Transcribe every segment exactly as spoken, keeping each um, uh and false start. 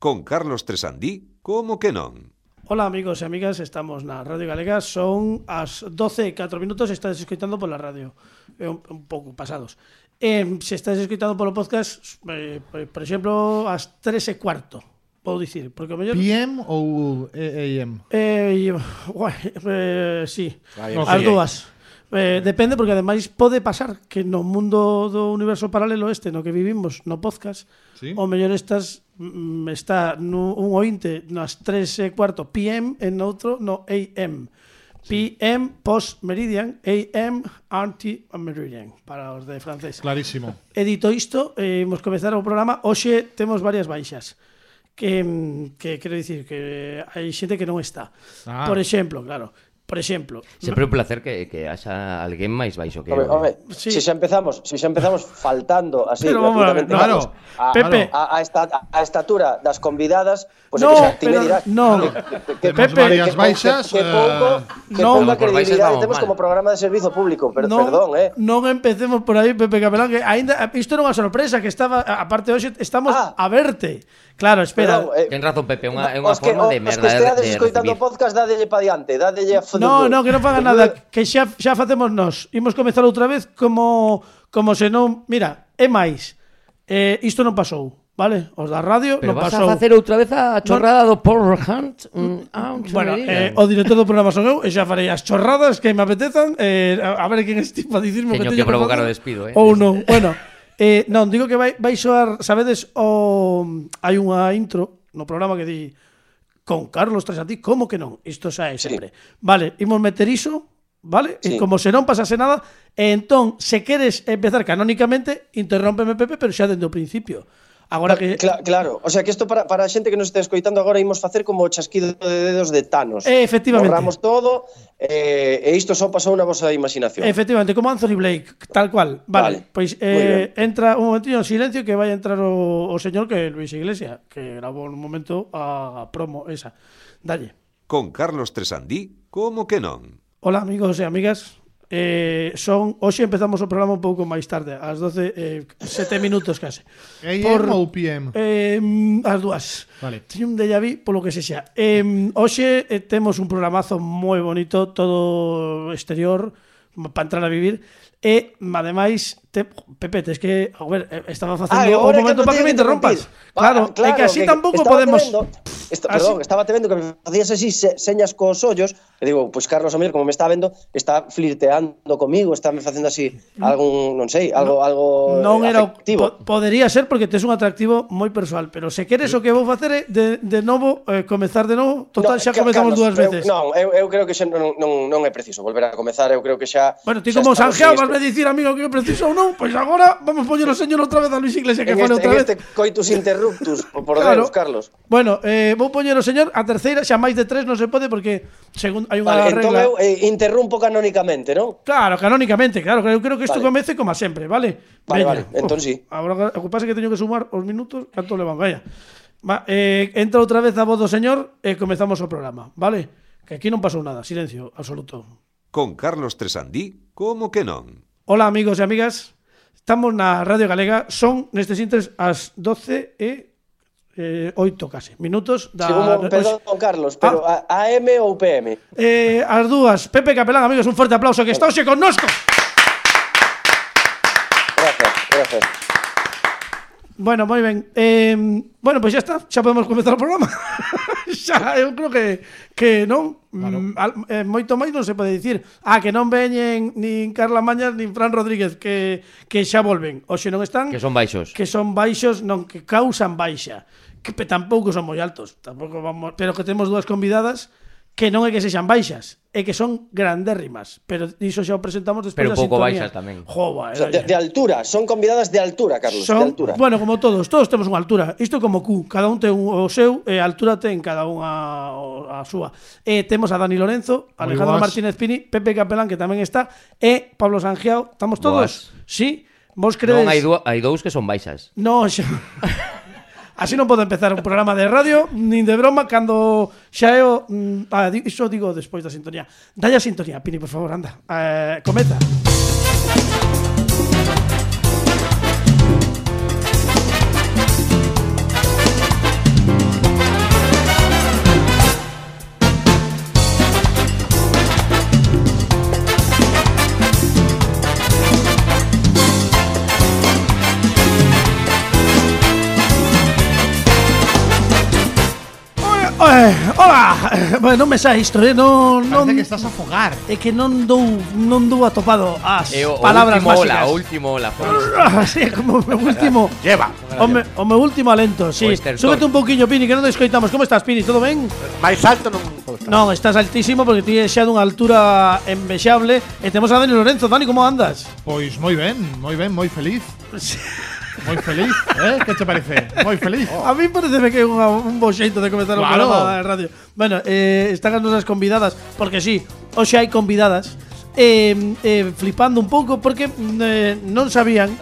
Con Carlos Tresandí, como que non? Hola amigos e amigas, estamos na Radio Galega, son as doce e catro minutos, estás escoitando pola radio, eh, un, un pouco pasados. Eh, se estás escoitando polo podcast, eh, por exemplo, as tres e cuarto, vou dicir, porque o mellor... P M ou A M? Eh, guai, eh, sí, okay. As dúas. Eh, depende, porque ademais pode pasar que no mundo do universo paralelo este no que vivimos, no podcast, ¿sí? O mellor estás mm, está no, un ointe nas tres e cuarto P M e no outro no A M. P M post meridian, A M anti meridian para os de francés. Clarísimo. E dito isto, eh, imos comezar o programa. Hoxe temos varias baixas. Que, que quero dicir que hai xente que non está. Ah. Por exemplo, claro, Por exemplo, sempre un placer que, que haxa alguén máis baixo que eu. Home, sí. se xa empezamos, se xa empezamos faltando así gratuitamente claro, a, Pepe, a, a, esta, a estatura das convidadas, pois pues no, que xa ti me dirás. No, que, que, que, Pepe, varias baixas, que, que pouco, que no, pouca credibilidade temos como programa de servizo público, pero no, perdón, eh. Non empecemos por aí, Pepe Capelán, que aínda isto era unha sorpresa que estaba, aparte hoxe estamos ah, a verte. Claro, espera. Perdón, eh, ten razón Pepe, unha é unha forma que, de merda de, de, de escoitando podcast, dádelle pa diante, dádelle a No, no, que non faga nada, que xa xa facemos nós. Imos comezar outra vez como como se non, mira, é máis. Eh, isto non pasou, vale? Os da radio Pero non pasou. Pero vas a facer outra vez a chorrada no. do Paul Hunt? Mm, ah, bueno, eh, o director do programa son eu, e xa farei as chorradas que me apetezan, eh, a, a ver quen estipa dicirme que teño que provocar o despido, eh. Ou non. Bueno, eh, non, digo que vai vai soar, sabedes, o hai unha intro no programa que di con Carlos Tresandí, como que non? Isto xa é sempre. Sí. Vale, imos meter iso, vale? Sí. E como se non pasase nada, e entón, se queres empezar canónicamente, interrómpeme, Pepe, pero xa dende o principio. Agora que Cla claro, o sea que isto para, para a xente que nos está escoitando agora imos facer como o chasquido de dedos de Thanos. Eh, efectivamente. Borramos todo eh, e isto só pasou na vosa imaginación. Efectivamente, como Anthony Blake, tal cual. Vale, vale. Pois eh, entra un momentinho en silencio que vai entrar o, o señor que é Luis Iglesias, que grabou un momento a promo esa. Dalle. Con Carlos Tresandí, como que non? Hola amigos e amigas. Eh, son hoxe empezamos o programa un pouco máis tarde, ás doce e sete minutos case. A M ou P M? Eh, as dúas. Vale. Teño un déjà vu polo que sexa. Eh, hoxe eh, temos un programazo moi bonito, todo exterior para entrar a vivir. E, ademais, te, Pepe, es que, a ver, estaba facendo ah, un momento para que me interrompas. Claro, claro, é que así que tampouco podemos... Vendo, esto, perdón, estaba te vendo que me facías así se, señas cos ollos, e digo, pois pues Carlos Omer, como me está vendo, está flirteando comigo, está me facendo así algún, non sei, algo, no, algo non era afectivo. Po, podería ser porque tes un atractivo moi persoal, pero se queres o que vou facer é de, de novo, eh, comezar de novo, total, no, xa comezamos Carlos, dúas veces. Eu, non, eu, eu creo que xa non, non, non é preciso volver a comezar, eu creo que xa... Bueno, ti como Sanjeao vas a dicir, amigo, que é preciso ou non, pois agora vamos poñer o señor outra vez a Luis Iglesias que fale outra vez. En este coitus interruptus, por claro. Deus, Carlos. Bueno, eh, vou poñer o señor a terceira, xa máis de tres non se pode porque según hai unha vale, regla. Entón eu eh, interrumpo canónicamente, non? Claro, canónicamente, claro, eu creo que isto vale. Comece como a sempre, vale? Vale, Veña. Vale, entón sí. Agora o que pasa é que teño que sumar os minutos, canto levan, vaya. Va, eh, entra outra vez a voz do señor e comezamos o programa, vale? Que aquí non pasou nada, silencio absoluto. Con Carlos Tresandí, como que non? Hola amigos e amigas, estamos na Radio Galega, son nestes intres as doce e oito case minutos da... Segundo, perdón, Carlos, pero ah. A M ou P M? Eh, as dúas. Pepe Capelán, amigos, un forte aplauso que está hoxe connosco. Gracias, gracias. Bueno, moi ben. Eh, bueno, pois pues xa está, xa podemos comezar o programa. Xa, eu creo que que non, claro. mm, eh, moito máis non se pode dicir. Ah, que non veñen nin Carla Mañas nin Fran Rodríguez que que xa volven. Hoxe non están. Que son baixos. Que son baixos, non que causan baixa. Que tampouco son moi altos, tampouco vamos, pero que temos dúas convidadas que non é que sexan baixas, é que son grandérrimas, pero iso xa o presentamos despois da sintonía. Pero pouco baixas tamén. Jova, o sea, de, de altura, son convidadas de altura, Carlos, son, de altura. Bueno, como todos, todos temos unha altura. Isto como Q, cada un ten o seu, e a altura ten cada unha a súa. E temos a Dani Lorenzo, Alejandro Martínez Pini, Pepe Capelán, que tamén está, e Pablo Sanjeao. Estamos todos? Boas. Sí? Vos credes? Non, hai, hai dous que son baixas. Non, xa... Así non podo empezar un programa de radio nin de broma cando xa é o... Ah, iso digo despois da sintonía. Dalle a sintonía, Pini, por favor, anda. Eh, comeza. Eh, hola, bueno, non me sa isto, eh, non, non Parece que estás a fogar. é que non dou non dou atopado as E o, o palabras último máxicas. ola, o último ola. Ah, sí, como o meu último. Lleva. O, me, o meu último alento, sí. O estertor. Súbete un pouquiño, Pini, que non te escoitamos. Como estás, Pini? Todo ben? máis alto non podo estar. Non, estás altísimo porque ti xa dunha altura envexable. E temos a Dani Lorenzo. Dani, como andas? Pois moi ben, moi ben, moi feliz. Moi feliz, eh? Que te parece? Moi feliz. A mí pareceme que é unha, un bo xeito de comenzar o Claro. programa de radio. Bueno, eh, están as nosas convidadas, porque sí, hoxe hai convidadas, eh, eh, flipando un pouco, porque eh, non sabían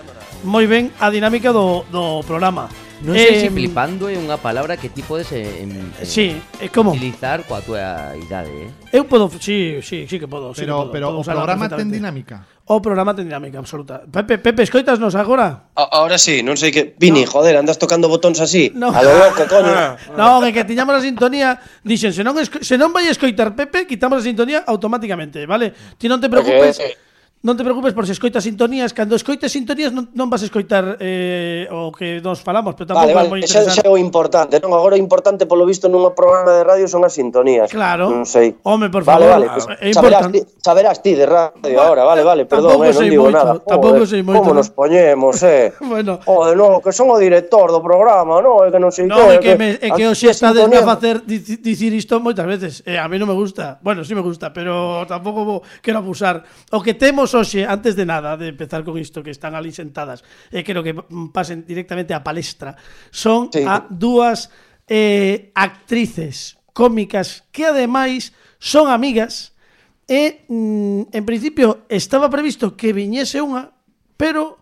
moi ben a dinámica do, do programa. Non sei Eh, se flipando é unha palabra que ti podes eh, em, eh, Sí, é como? utilizar coa túa idade, eh? Eu podo, sí, sí, sí que podo. sí que Pero, podo, pero podo o usarla programa ten perfectamente. dinámica. O programa ten dinámica absoluta. Pepe, Pepe, escoitasnos agora? A- Ahora sí, non sei que... Vini, joder, andas tocando botóns así. No. A lo loco, coño. Non, é que tiñamos a sintonía. Dixen, se non, esco se non vai a escoitar Pepe, quitamos a sintonía automáticamente, vale? Ti non te preocupes. Porque, eh, Non te preocupes por se escoitas sintonías. Cando escoites sintonías non, non vas a escoitar eh, o que nos falamos, pero tampouco Vale, é moi vale, xa, xa interesante. é o importante, non? Agora o importante, polo visto, nun programa de radio son as sintonías. Claro. Non sei. Home, por Vale, favor, vale, pues é saberás, importante. ti, saberás ti de radio ahora, vale, vale, perdón, Tampouco eh, non sei digo moito, nada. tampouco Joder, sei moito, Como non? nos poñemos, eh? Bueno. Joder, no, que son o director do programa, no, é que non sei Non, é que, me, é que hoxe estades a facer dici- dicir isto moitas veces. Eh, a mí non me gusta. Bueno, sí me gusta, pero tampouco vou, quero abusar. O que temos hoxe, antes de nada, de empezar con isto, que están ali sentadas, e eh, quero que pasen directamente á palestra, son Sí. a dúas eh, actrices cómicas que ademais son amigas e, mm, en principio, estaba previsto que viñese unha, pero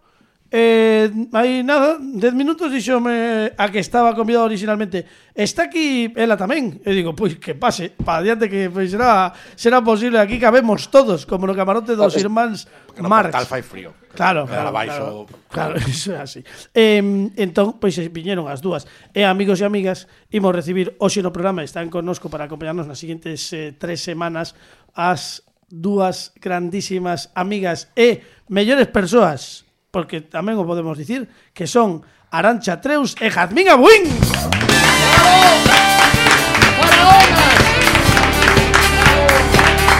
Eh, hai nada, dez minutos díxome a que estaba convidado originalmente. Está aquí ela tamén. E digo, pois que pase, para adiante que pois será será posible, aquí cabemos todos, como no camarote dos irmáns No Marx. portal fai frío. Claro, claro, Quedar abaixo. claro, claro, iso é así. Eh, entón, pois viñeron as dúas. E amigos e amigas, imos recibir hoxe no programa, están connosco para acompañarnos nas seguintes eh, tres semanas as dúas grandísimas amigas e mellores persoas, porque tamén o podemos dicir, que son Arantxa Treus e Jazmín Abuín.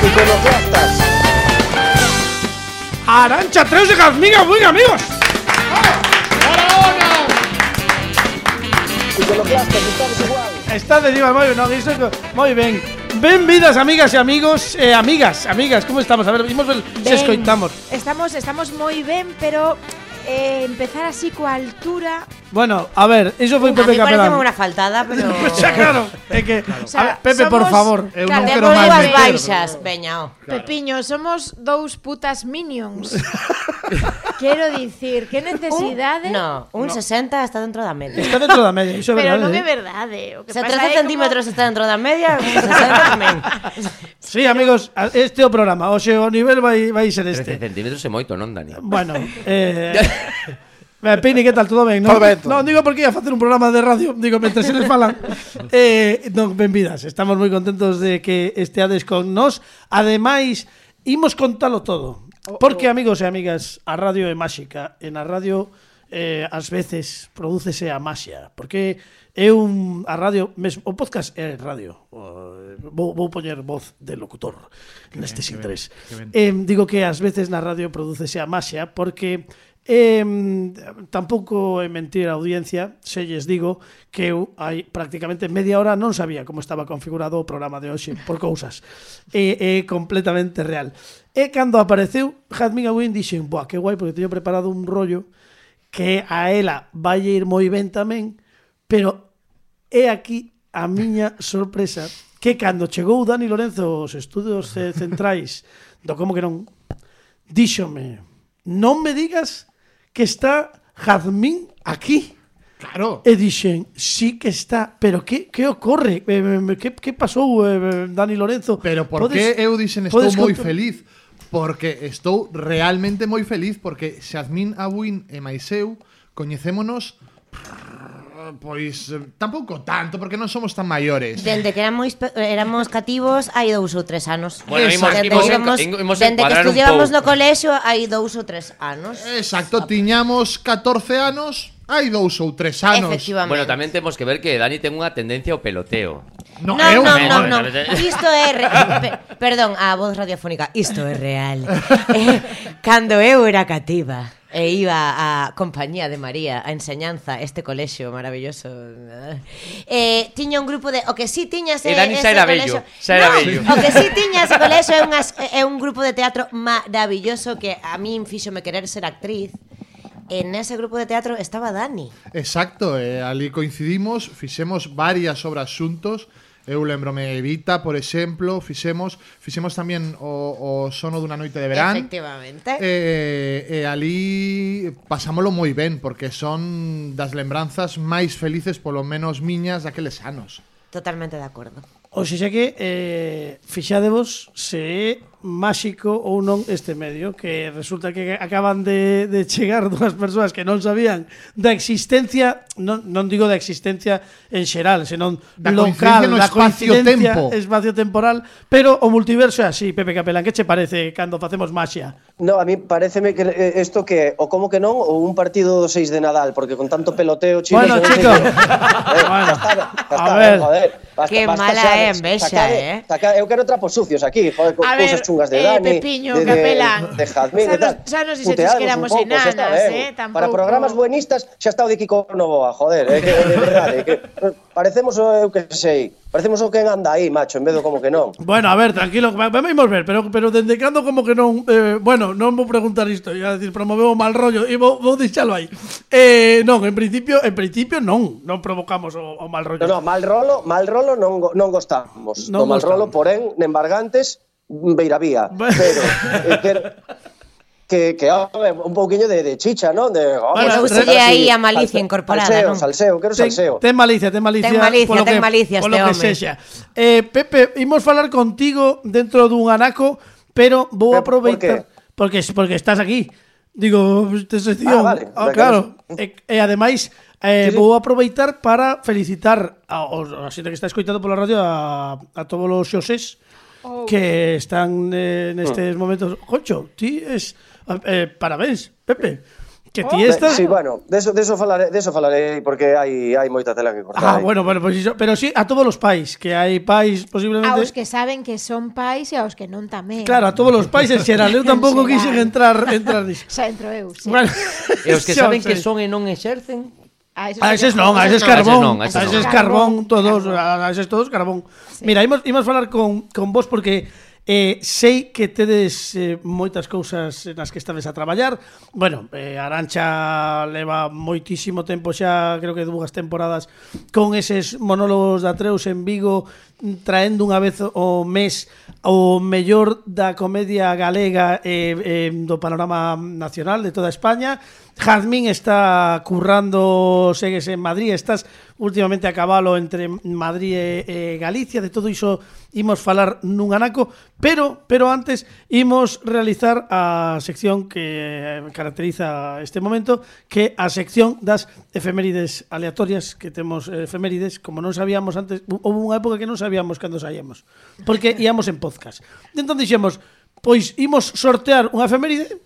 Iconoclastas. Arantxa Treus e Jazmín Abuín, amigos. Iconoclastas, estamos igual. Está de igual, moi ben, non, iso, moi ben. Benvidas, amigas e amigos, eh, amigas, amigas, como estamos? A ver, imos ver se Ben, escoitamos. Estamos, estamos moi ben, pero eh, empezar así coa altura. Bueno, a ver, iso foi A Pepe mí parece Capelán. unha faltada, pero... Xa, claro, é que O sea, a ver, Pepe, por somos- favor. Eu Claro, non de quero acordo máis coas meter. baixas, veña, ó. Pepiño, somos dous putas minions. Quero dicir, que necesidade. No, un sesenta está dentro da media. Está dentro da media, iso é Pero verdade. non é eh. verdade. O que Se pasa trece é como- centímetros está dentro da media, un sesenta tamén. Sí, amigos, a- este é o programa. Hoxe o nivel vai vai ser trece este. centímetros é moito, non, Dani? Bueno, eh Eh, Pini, que tal? Todo ben, non? Todo ben, todo. Non, digo porque ia facer un programa de radio, digo, mentre se les falan. eh, non, benvidas, estamos moi contentos de que esteades con nós. Ademais, imos contalo todo. Porque, amigos e amigas, a radio é máxica. En a radio, eh, ás veces, prodúcese a maxia. Porque é un... A radio, mesmo, o podcast é radio. O, vou, vou poñer voz de locutor nestes intres. Eh, digo que ás veces na radio prodúcese a maxia porque... Eh, tampouco é mentir a audiencia se lles digo que eu hai prácticamente media hora non sabía como estaba configurado o programa de hoxe por cousas. É, é completamente real. E cando apareceu Jazmín Abuín dixen, boa, que guai, porque teño preparado un rollo que a ela vai ir moi ben tamén, pero é aquí a miña sorpresa que cando chegou Dani Lorenzo aos estudios eh, centrais do Como que non, díxome, non me digas que está Jazmín aquí. Claro. E dixen, sí que está, pero que, que ocorre? Eh, que, que pasou, eh, Dani Lorenzo? Pero por que eu dixen estou podes moi contar? feliz? Porque estou realmente moi feliz porque Xazmín Abuín e máis eu coñecémonos pois eh, tampouco tanto porque non somos tan maiores. Dende que éramos, éramos cativos hai dous ou tres anos. Bueno, imos- Dende imos que en- íbamos- imos dende que encuadrar un estudiábamos no pouco. colexio hai dous ou tres anos. Exacto, tiñamos catorce anos, hai dous ou tres anos. Efectivamente. Bueno, tamén temos que ver que Dani ten unha tendencia ao peloteo. No, Non, eu non, non. non, non. Isto é re... Pe- Perdón, a voz radiofónica. Isto é real. Eh, cando eu era cativa e iba a compañía de María a enseñanza este colexio maravilloso, eh, tiña un grupo de... O que sí tiña ese, E Dani ese xa era colexio... bello, xa era no, bello. O que sí tiña ese colexio é, unhas, é un grupo de teatro maravilloso que a min fíxome querer ser actriz. En ese grupo de teatro estaba Dani. Exacto, eh, ali coincidimos, fixemos varias obras xuntos. Eu lembrome Evita, por exemplo, fixemos fixemos tamén o, o Sono dunha noite de verán. Efectivamente. E, e ali pasámolo moi ben, porque son das lembranzas máis felices, polo menos miñas, daqueles anos. Totalmente de acordo. O xa que eh, fixadevos se é máxico ou non este medio, que resulta que acaban de, de chegar dúas persoas que non sabían da existencia, non, non digo da existencia en xeral, senón Da local, coincidencia no da coincidencia espacio-tempo. espacio-temporal, pero o multiverso é así. Pepe Capelán, que che parece cando facemos maxia? No, a mí pareceme que eh, esto que o como que non ou un partido do seis de Nadal, porque con tanto peloteo, chicos, Bueno, eu non sei chicos. que- eh, Bueno, ya está, ya a está, ver. joder. Basta, Qué basta mala xa de- é envexa, sacade- eh. sacade- eu quero trapos sucios aquí, joder, con A cousas ver, chungas de eh, Dani, Pepiño, de, de, Capelán. de Jazmín Xa e tal. nos- xa nos dixeches Puteadnos que éramos un pouco, xa está enanas, ben. eh, tampouco- Para programas buenistas xa está o de Kiko Novoa, joder, eh, que, de verdade, que parecemos o eu que sei, parecemos o que anda aí, macho, en vez do como que non. Bueno, a ver, tranquilo, va- vamos ver, pero pero dende cando como que non, eh, bueno, non vou preguntar isto, ia decir, promoveu o mal rollo e vou, vou deixalo aí. Eh, non, en principio, en principio non, non provocamos o, o mal rollo. No, no, mal rolo, mal rolo non, go- non gostamos. Non No mal gostamos. rolo, porén, nembargantes, beiravía. Bueno. Pero, eh, quero, que, que home, un pouquiño de, de chicha, non? De, home, Bueno, salseo, Úselle aí a salseo, malicia incorporada, salseo, non? salseo, quero Ten, salseo. ten malicia, ten malicia. Ten malicia, polo ten que- malicia polo este que home. sexa. Eh, Pepe, imos falar contigo dentro dun anaco, pero vou Pero, por aproveitar qué? porque porque estás aquí. Digo, esta sección. Ah, vale, Ah, venga, claro. E, e ademais eh, Sí, sí. vou aproveitar para felicitar a, a, a xente que está escoitando pola radio a, a todos os xosés Oh. que están eh, nestes momentos. Concho, ti es eh, parabéns, Pepe. Que ti De- estás Sí, bueno, de eso, de eso falaré, de eso falaré porque hai hai moita tela que cortar. Ah, aí. bueno, bueno, pues iso, pero sí a todos os pais, que hai pais posiblemente. Aos que saben que son pais e aos que non tamén. Claro, a todos os pais en xeral, eu tampouco En quixen xeral. entrar entrar niso. Xa entro eu, sí. Bueno, E os que xa saben sei. que son e non exercen. A esos, A eses non, a eses non. carbón, A a eses non, eses a eses carbón, non. todos, Carbón. a eses todos carbón. Mira, imos imos falar con con vos porque Eh, sei que tedes eh, moitas cousas nas que estades a traballar. Bueno, eh, Arancha leva moitísimo tempo xa, creo que dúas temporadas con eses monólogos da Treus en Vigo, traendo unha vez o mes o mellor da comedia galega e eh, eh, do panorama nacional de toda España. Jazmín está currando, segues en Madrid, estás últimamente a cabalo entre Madrid e, e Galicia, de todo iso imos falar nun anaco, pero pero antes imos realizar a sección que caracteriza este momento, que a sección das efemérides aleatorias, que temos efemérides, como non sabíamos antes, houve unha época que non sabíamos cando saíamos, porque íamos en podcast. Entón dixemos, pois imos sortear unha efeméride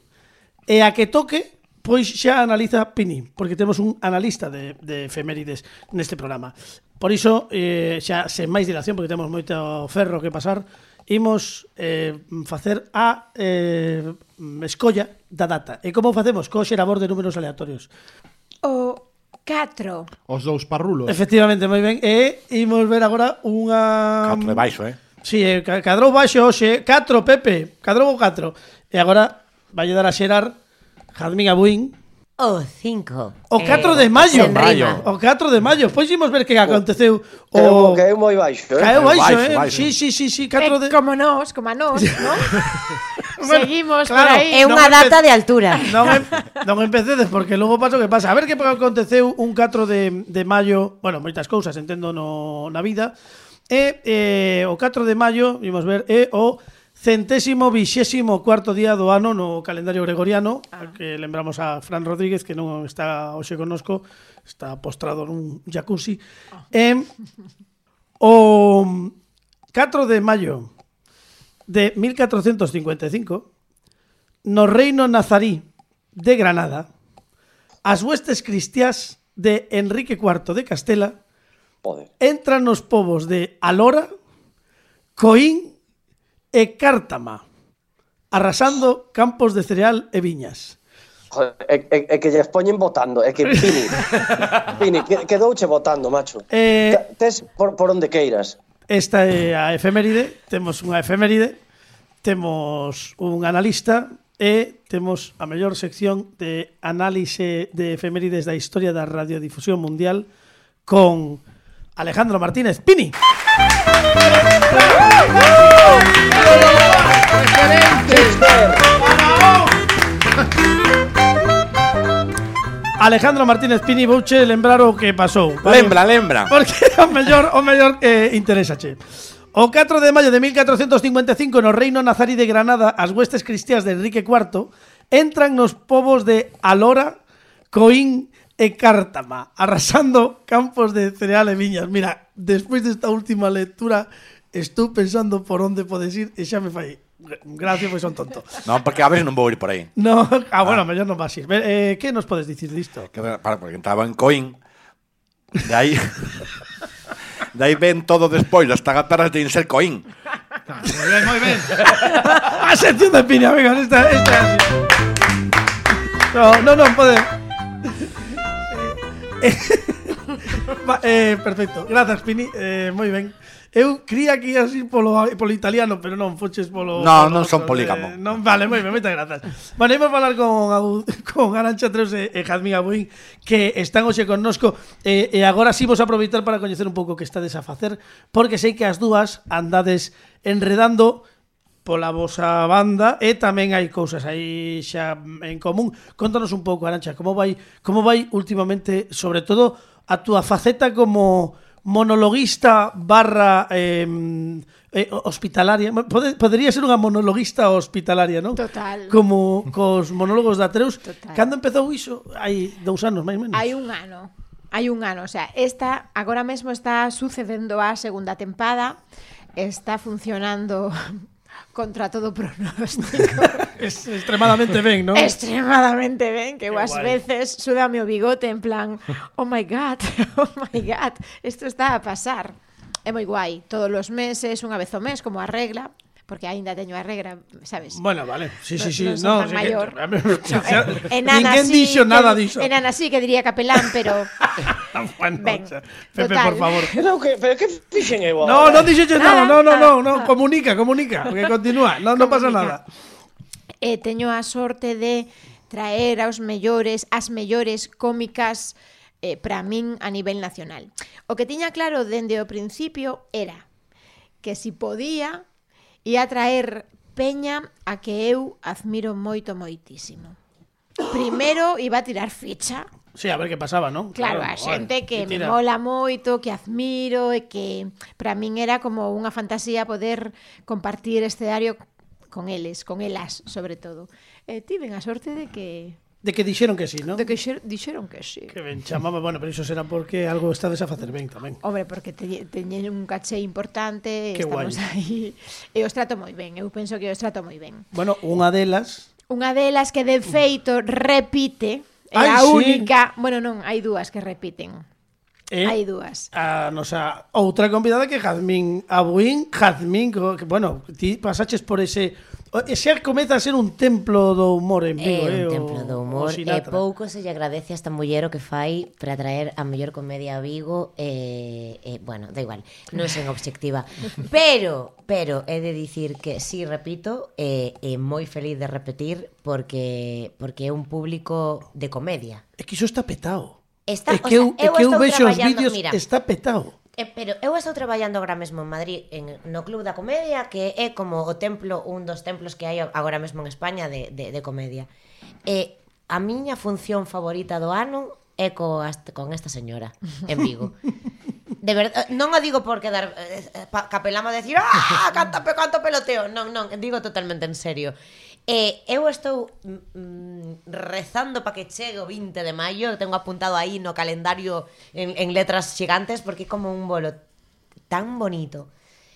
e a que toque pois xa analiza Pini, porque temos un analista de, de efemérides neste programa. Por iso, eh, xa sen máis dilación, porque temos moito ferro que pasar, imos eh, facer a eh, escolla da data. E como facemos? Co xerador de números aleatorios. O catro. Os dous parrulos. Efectivamente, moi ben. E imos ver agora unha... Catro de baixo, eh? Sí, eh, ca- cadrou baixo hoxe. catro, Pepe. Cadrou o catro. E agora vai dar a xerar Jazmín Abuín. O cinco. O catro de maio. sen rima. O catro de maio. Pois imos ver que aconteceu. Caeu, O... caeu moi baixo, eh? Caeu baixo, baixo, eh? baixo. Sí, sí, sí, sí. Eh, catro de... como nós, como a nós, non? Bueno, Seguimos claro. por aí. É unha Non data empe- de altura. Non, em, non empecedes porque logo paso que pasa. A ver que aconteceu un catro de, de maio. Bueno, moitas cousas, entendo, no, na vida. E eh, o catro de maio, vimos ver, é o centésimo vixésimo cuarto día do ano no calendario gregoriano, ah. que lembramos a Fran Rodríguez, que non está hoxe connosco, está postrado nun jacuzzi. Ah. E o catro de maio de mil catrocentos cincuenta e cinco, no reino nazarí de Granada, as huestes cristiás de Enrique cuarto de Castela Poder. Entran nos povos de Alora, Coín e Cártama, arrasando campos de cereal e viñas. Joder, é, é, é que lles poñen votando, é que Pini, Pini, que, quedouche votando, macho. Eh, Tes por, por onde queiras. Esta é a efeméride, temos unha efeméride, temos un analista e temos a mellor sección de análise de efemérides da historia da radiodifusión mundial con Alejandro Martínez Pini. Alejandro Martínez Pini, vouche lembrar o que pasou, vale? Lembra, lembra. Porque o mellor, o mellor eh, interésache. O catro de maio de mil catrocentos cincuenta e cinco no Reino Nazarí de Granada, as huestes cristiás de Enrique cuarto entran nos povos de Alora, Coín e Cártama, arrasando campos de cereal e viñas. Mira, despois desta última lectura estou pensando por onde podes ir e xa me fai gracias, pois son tonto. Non, porque a veces non vou ir por aí. No, ah, bueno, ah. mellor non vas ir. Eh, que nos podes dicir disto? Que, para, porque entraba en Coín. De aí De aí ven todo despois, as tagaperras de ser Coín. Moi ben, moi ben. A sección de Pini, venga, esta, esta. No, no, non pode. Va, eh, perfecto, grazas Pini, eh, moi ben. Eu cría que ias ir polo, polo italiano, pero non, foches polo... No, polo non son otro, polígamo. Eh, non, vale, moi ben, moitas grazas. Bueno, imos falar con, con Arantxa Treus e, e Jazmín Abuín, que están hoxe connosco, e, e agora sí vos aproveitar para coñecer un pouco o que estades a facer, porque sei que as dúas andades enredando pola vosa banda e tamén hai cousas aí xa en común. Contanos un pouco, Arantxa, como vai, como vai últimamente, sobre todo, a túa faceta como monologuista barra eh, eh, hospitalaria. Pode, podería ser unha monologuista hospitalaria, non? Total. Como cos monólogos da Treus. Total. Cando empezou iso? Hai dous anos, máis ou menos. Hai un ano. Hai un ano, o sea, esta agora mesmo está sucedendo a segunda tempada. Está funcionando contra todo pronóstico. Es extremadamente ben, non? Extremadamente ben, que eu Qué ás guai. veces súdame o bigote en plan, oh my god, oh my god, isto está a pasar. É moi guai, todos os meses, unha vez ao mes, como a regla, porque aínda teño a regra, sabes? Bueno, vale. Sí, sí, sí. Non son No, tan sí maior. Que, No, eh, enana ninguén sí, dixo nada diso. Enana sí que diría capelán, pero Bueno, ben, o sea, Pepe, total. por favor. Pero que, pero que fixen eu No, agora? non dixeche nada. Nada, No, no, no, nada, no. nada. Comunica, comunica. Que continúa. No, non pasa nada. eh, teño a sorte de traer aos mellores, as mellores cómicas eh, para min a nivel nacional. O que tiña claro dende o principio era que si podía ia traer peña a que eu admiro moito, moitísimo. Primeiro iba a tirar ficha. Sí, a ver que pasaba, non? Claro, a xente que me mola moito, que admiro e que para min era como unha fantasía poder compartir escenario con eles, con elas, sobre todo. E tiven a sorte de que De que dixeron que sí, non? de que xer, dixeron que sí. Que ben chamaba, bueno, pero iso será porque algo estades a facer ben tamén. Hombre, porque te, teñen un caché importante, Que estamos guai. aí. E os trato moi ben, eu penso que os trato moi ben. Bueno, unha delas... Unha delas que de feito repite, é Ai, a sí. única, bueno, non, hai dúas que repiten. Eh, Hai dúas. A nosa outra convidada que é Jazmín Abuín. Jazmín, que, que, bueno, ti pasaches por ese... Ese comeza a ser un templo do humor en Vigo, É eh? un templo o- do o humor e Sinatra. pouco se lle agradece a esta muller o que fai para traer a mellor comedia a Vigo e, e bueno, da igual, non sen obxectiva pero, pero he de dicir que si, sí, repito, e eh, eh, moi feliz de repetir porque porque é un público de comedia. É que iso está petado. Está, É que eu, o sea, é que eu estou vexo os traballando- vídeos, mira, está petado. Eh, pero eu estou traballando agora mesmo en Madrid en, no Club da Comedia, que é como o templo, un dos templos que hai agora mesmo en España de, de, de comedia. E a miña función favorita do ano é co, con esta señora en Vigo. De verdade, non o digo por quedar eh, capelamo a decir ah, canta, canto peloteo. Non, non, digo totalmente en serio. E eu estou mm, rezando para que chegue o vinte de maio. Tengo apuntado aí no calendario en, en letras gigantes porque é como un bolo tan bonito.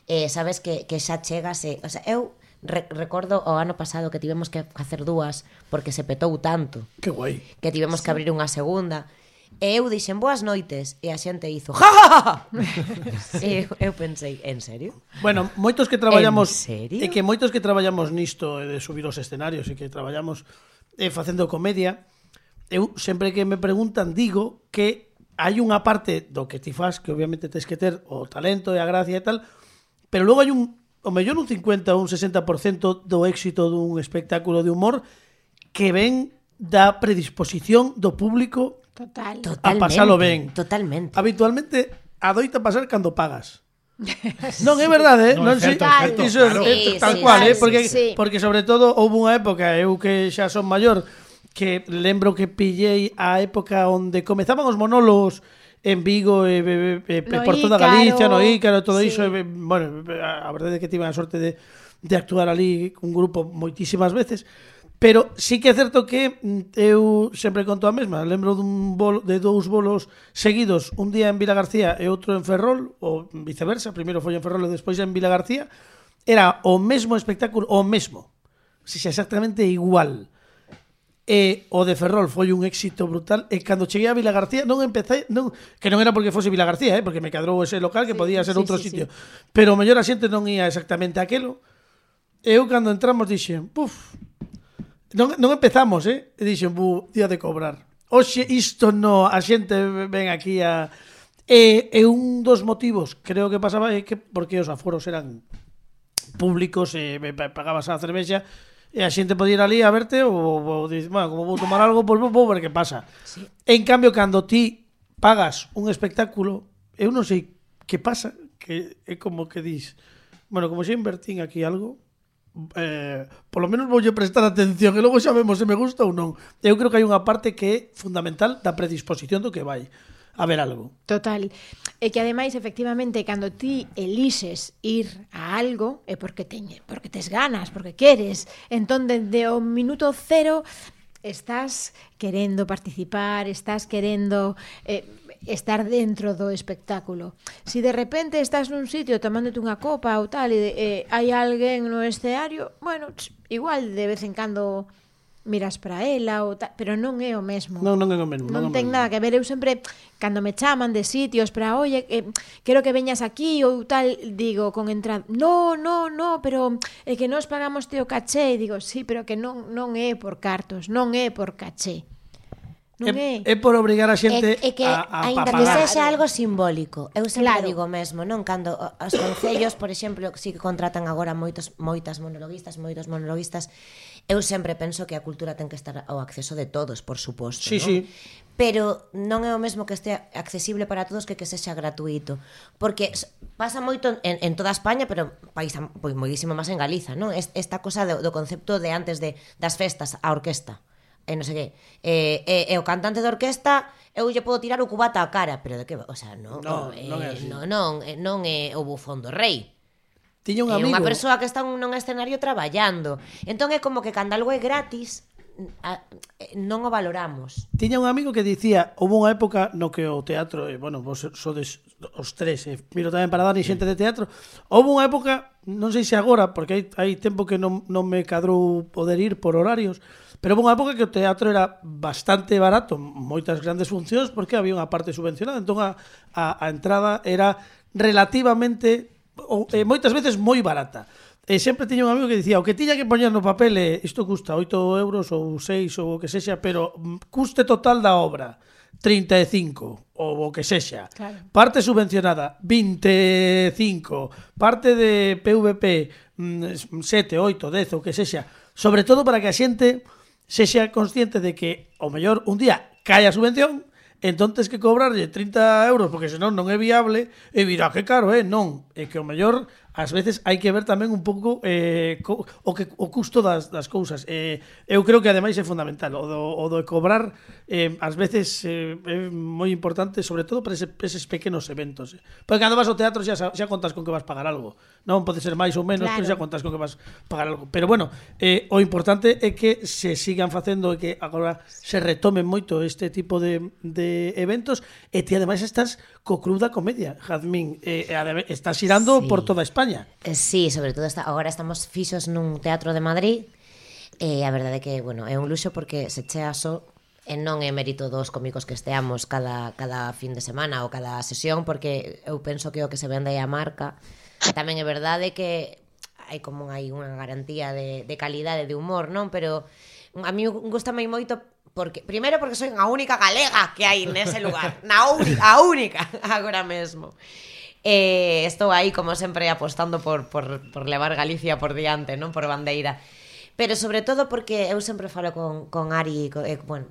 Eh, sabes que, que xa chegase. O sea, eu re, recordo o ano pasado que tivemos que facer dúas porque se petou tanto Que guai. que tivemos que abrir unha segunda. E eu dixen boas noites e a xente hizo ja, ja, ja, ja. E eu, eu pensei, en serio? Bueno, moitos que traballamos En serio? e que moitos que traballamos nisto de subir os escenarios e que traballamos eh, facendo comedia, eu sempre que me preguntan digo que hai unha parte do que ti fas que obviamente tens que ter o talento e a gracia e tal, pero logo hai un o mellor un cincuenta ou un sesenta por cento do éxito dun espectáculo de humor que ven da predisposición do público Total. a pasalo ben. Totalmente. Habitualmente adoita pasar cando pagas. Non é verdade, eh? No, non é sei, certo, é certo, iso claro. é Sí, tal sí, cual, sí, eh, porque sí. porque sobre todo houve unha época, eu que xa son maior, que lembro que pillei a época onde comezaban os monólogos en Vigo e, e, e, e No por toda Ícaro, Galicia, no Ícaro, todo sí. iso, e, bueno, a, a verdade é que tive a sorte de de actuar ali un grupo moitísimas veces. Pero sí que é certo que eu sempre conto a mesma. Lembro dun bolo, de dous bolos seguidos, un día en Vila García e outro en Ferrol, ou viceversa, primeiro foi en Ferrol e despois en Vila García. Era o mesmo espectáculo, o mesmo, se xa exactamente igual. E o de Ferrol foi un éxito brutal. E cando cheguei a Vila García non empecé, non, que non era porque fose Vila García, eh, porque me cadrou ese local que Sí, podía ser sí, outro sí, sitio. sí. Pero o mellor a xente non ia exactamente aquelo. E eu cando entramos dixen, puf, non, non empezamos, eh? E dixen, bu, día de cobrar. Oxe, isto no, a xente ven aquí a... E, e un dos motivos, creo que pasaba, é que porque os aforos eran públicos e me pagabas a cervexa e a xente podía ir ali a verte ou, ou dices, bueno, como vou tomar algo, pois pues vou ver que pasa. Sí. En cambio, cando ti pagas un espectáculo, eu non sei que pasa, que é como que dis, bueno, como xa invertín aquí algo, eh, polo menos voulle prestar atención e logo xa vemos se me gusta ou non. Eu creo que hai unha parte que é fundamental da predisposición do que vai a ver algo. Total. E que ademais, efectivamente, cando ti elixes ir a algo é porque teñe, porque tes ganas, porque queres. Entón, desde o minuto cero estás querendo participar, estás querendo eh, estar dentro do espectáculo. Si de repente estás nun sitio tomándote unha copa ou tal e eh, hai alguén no escenario, bueno, ch, igual de vez en cando miras para ela ou tal, pero non é o mesmo. Non, non é o mesmo. Non é o ten mesmo. nada que ver. Eu sempre, cando me chaman de sitios para, oye, eh, quero que veñas aquí ou tal, digo con entrada, no, no, no, pero é que nos pagamos teo caché. E digo, sí, pero que non, non é por cartos, non é por caché. Non é. É, é por obrigar a xente É, é que a, a, a aínda pagar. que sexa algo simbólico. Eu sempre Claro. digo mesmo, non? Cando o- os concellos, por exemplo, si que contratan agora moitos moitas monologuistas, moitos monologuistas, eu sempre penso que a cultura ten que estar ao acceso de todos, por suposto, Sí, non? sí. Pero non é o mesmo que este accesible para todos que que sexa gratuito, porque s- pasa moito en, en toda España, pero país pois moitísimo máis en Galiza, non? Es- Esta cosa do, do concepto de antes de das festas a orquesta. E non sei que. E, e, e o cantante de orquesta eu lle podo tirar o cubata á cara, pero de que, o sea, non, No, eh, non é así. non, non, eh, non é o bufón do rei. Tiña un É amigo. unha persoa que está nun escenario traballando. Entón é como que cando algo é gratis, a, non o valoramos. Tiña un amigo que dicía, houve unha época no que o teatro, e, bueno, vos sodes os tres, e miro tamén para Dani xente de teatro, houve unha época, non sei se agora, porque hai, hai tempo que non, non me cadrou poder ir por horarios, pero houve unha época que o teatro era bastante barato, moitas grandes funcións, porque había unha parte subvencionada, entón a, a, a entrada era relativamente, ou, e moitas veces moi barata. E sempre tiña un amigo que dicía, o que tiña que poñer no papel é, isto custa oito euros ou seis ou o que sexa, pero mm, custe total da obra trinta e cinco ou o que sexa. Claro. Parte subvencionada vinte e cinco, parte de P V P mm, sete, oito, dez ou que sexa, sobre todo para que a xente sexa consciente de que o mellor un día cae a subvención, entón tes que cobrarlle trinta euros porque senón non é viable e virá que caro, eh? Non, é que o mellor ás veces hai que ver tamén un pouco eh, co, o que o custo das, das cousas. Eh, eu creo que ademais é fundamental o do, o do cobrar eh, ás veces eh, é moi importante, sobre todo para ese, eses pequenos eventos. Eh. Porque cando vas ao teatro xa, xa contas con que vas pagar algo. Non pode ser máis ou menos, Claro. pero xa contas con que vas pagar algo. Pero bueno, eh, o importante é que se sigan facendo e que agora se retomen moito este tipo de, de eventos e ti ademais estás co Club da Comedia, Jazmín, eh, estás xirando Sí. por toda España. Eh, Sí, sobre todo está, agora estamos fixos nun teatro de Madrid e a verdade é que, bueno, é un luxo porque se chea só E non é mérito dos cómicos que esteamos cada, cada fin de semana ou cada sesión, porque eu penso que o que se vende é a marca. E tamén é verdade que hai como hai unha garantía de, de calidade de humor, non? Pero a mí gustame moito porque primeiro porque soy a única galega que hai nese lugar, na única, a única agora mesmo. Eh, estou aí como sempre apostando por, por, por levar Galicia por diante, non? Por bandeira. Pero sobre todo porque eu sempre falo con, con Ari, eh, bueno,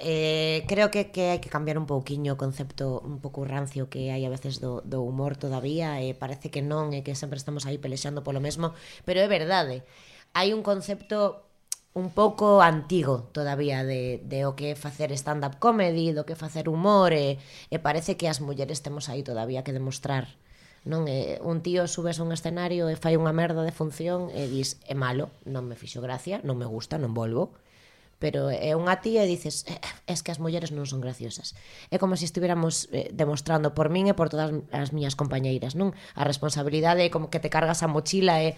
eh, creo que, que hai que cambiar un pouquiño o concepto un pouco rancio que hai a veces do, do humor todavía, e eh, parece que non, e que sempre estamos aí pelexando polo mesmo, pero é verdade, hai un concepto un pouco antigo todavía de, de o que é facer stand-up comedy, do que é facer humor, e, e parece que as mulleres temos aí todavía que demostrar. Non é un tío subes a un escenario e fai unha merda de función e dis é malo, non me fixo gracia, non me gusta, non volvo. Pero é unha tía e dices eh, es que as mulleres non son graciosas. É como se estuviéramos eh, demostrando por min e por todas as miñas compañeiras, non? A responsabilidade é como que te cargas a mochila e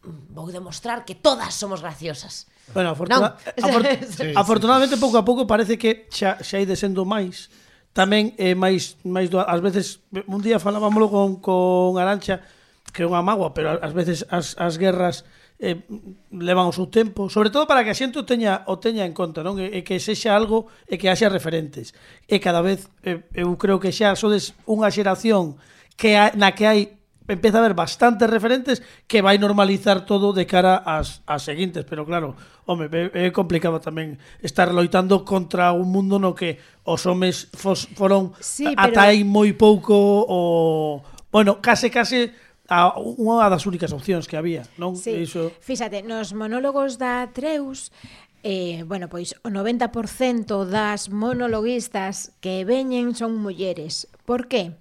vou demostrar que todas somos graciosas. Bueno, afortuna... Afor... sí, afortunadamente pouco a pouco parece que xa, xa ide sendo máis. Tamén é máis máis do, ás veces un día falábamoslo con con Arancha, que é unha mágoa, pero ás veces as as guerras eh, levan o seu tempo, sobre todo para que a xente o teña o teña en conta, non? E, e que sexa algo e que haxa referentes. E cada vez eh, eu creo que xa sodes unha xeración que ha, na que hai empeza a haber bastantes referentes que vai normalizar todo de cara ás, ás seguintes, pero claro, home, é complicado tamén estar loitando contra un mundo no que os homes fos, foron sí, pero... ata aí moi pouco o, bueno, case case a unha das únicas opcións que había, non? Sí, Iso... fíxate, nos monólogos da Atreus eh, bueno, pois o noventa por cento das monologuistas que veñen son mulleres. Por qué?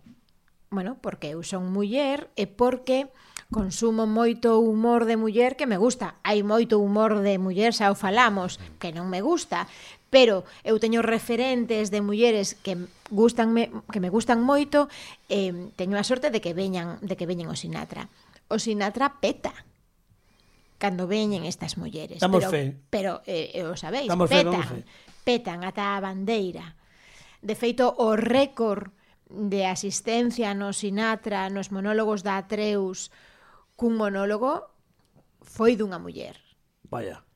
Bueno, porque eu son muller e porque consumo moito humor de muller que me gusta. Hai moito humor de muller, xa o falamos, que non me gusta, pero eu teño referentes de mulleres que gustanme, que me gustan moito, e eh, teño a sorte de que veñan, de que veñen o Sinatra. O Sinatra peta cando veñen estas mulleres. Damos pero, fe. Pero, eh, eh, o sabéis, damos petan, fe, petan ata a bandeira. De feito, o récord de asistencia no Sinatra, nos monólogos da Atreus, cun monólogo foi dunha muller. Vaya.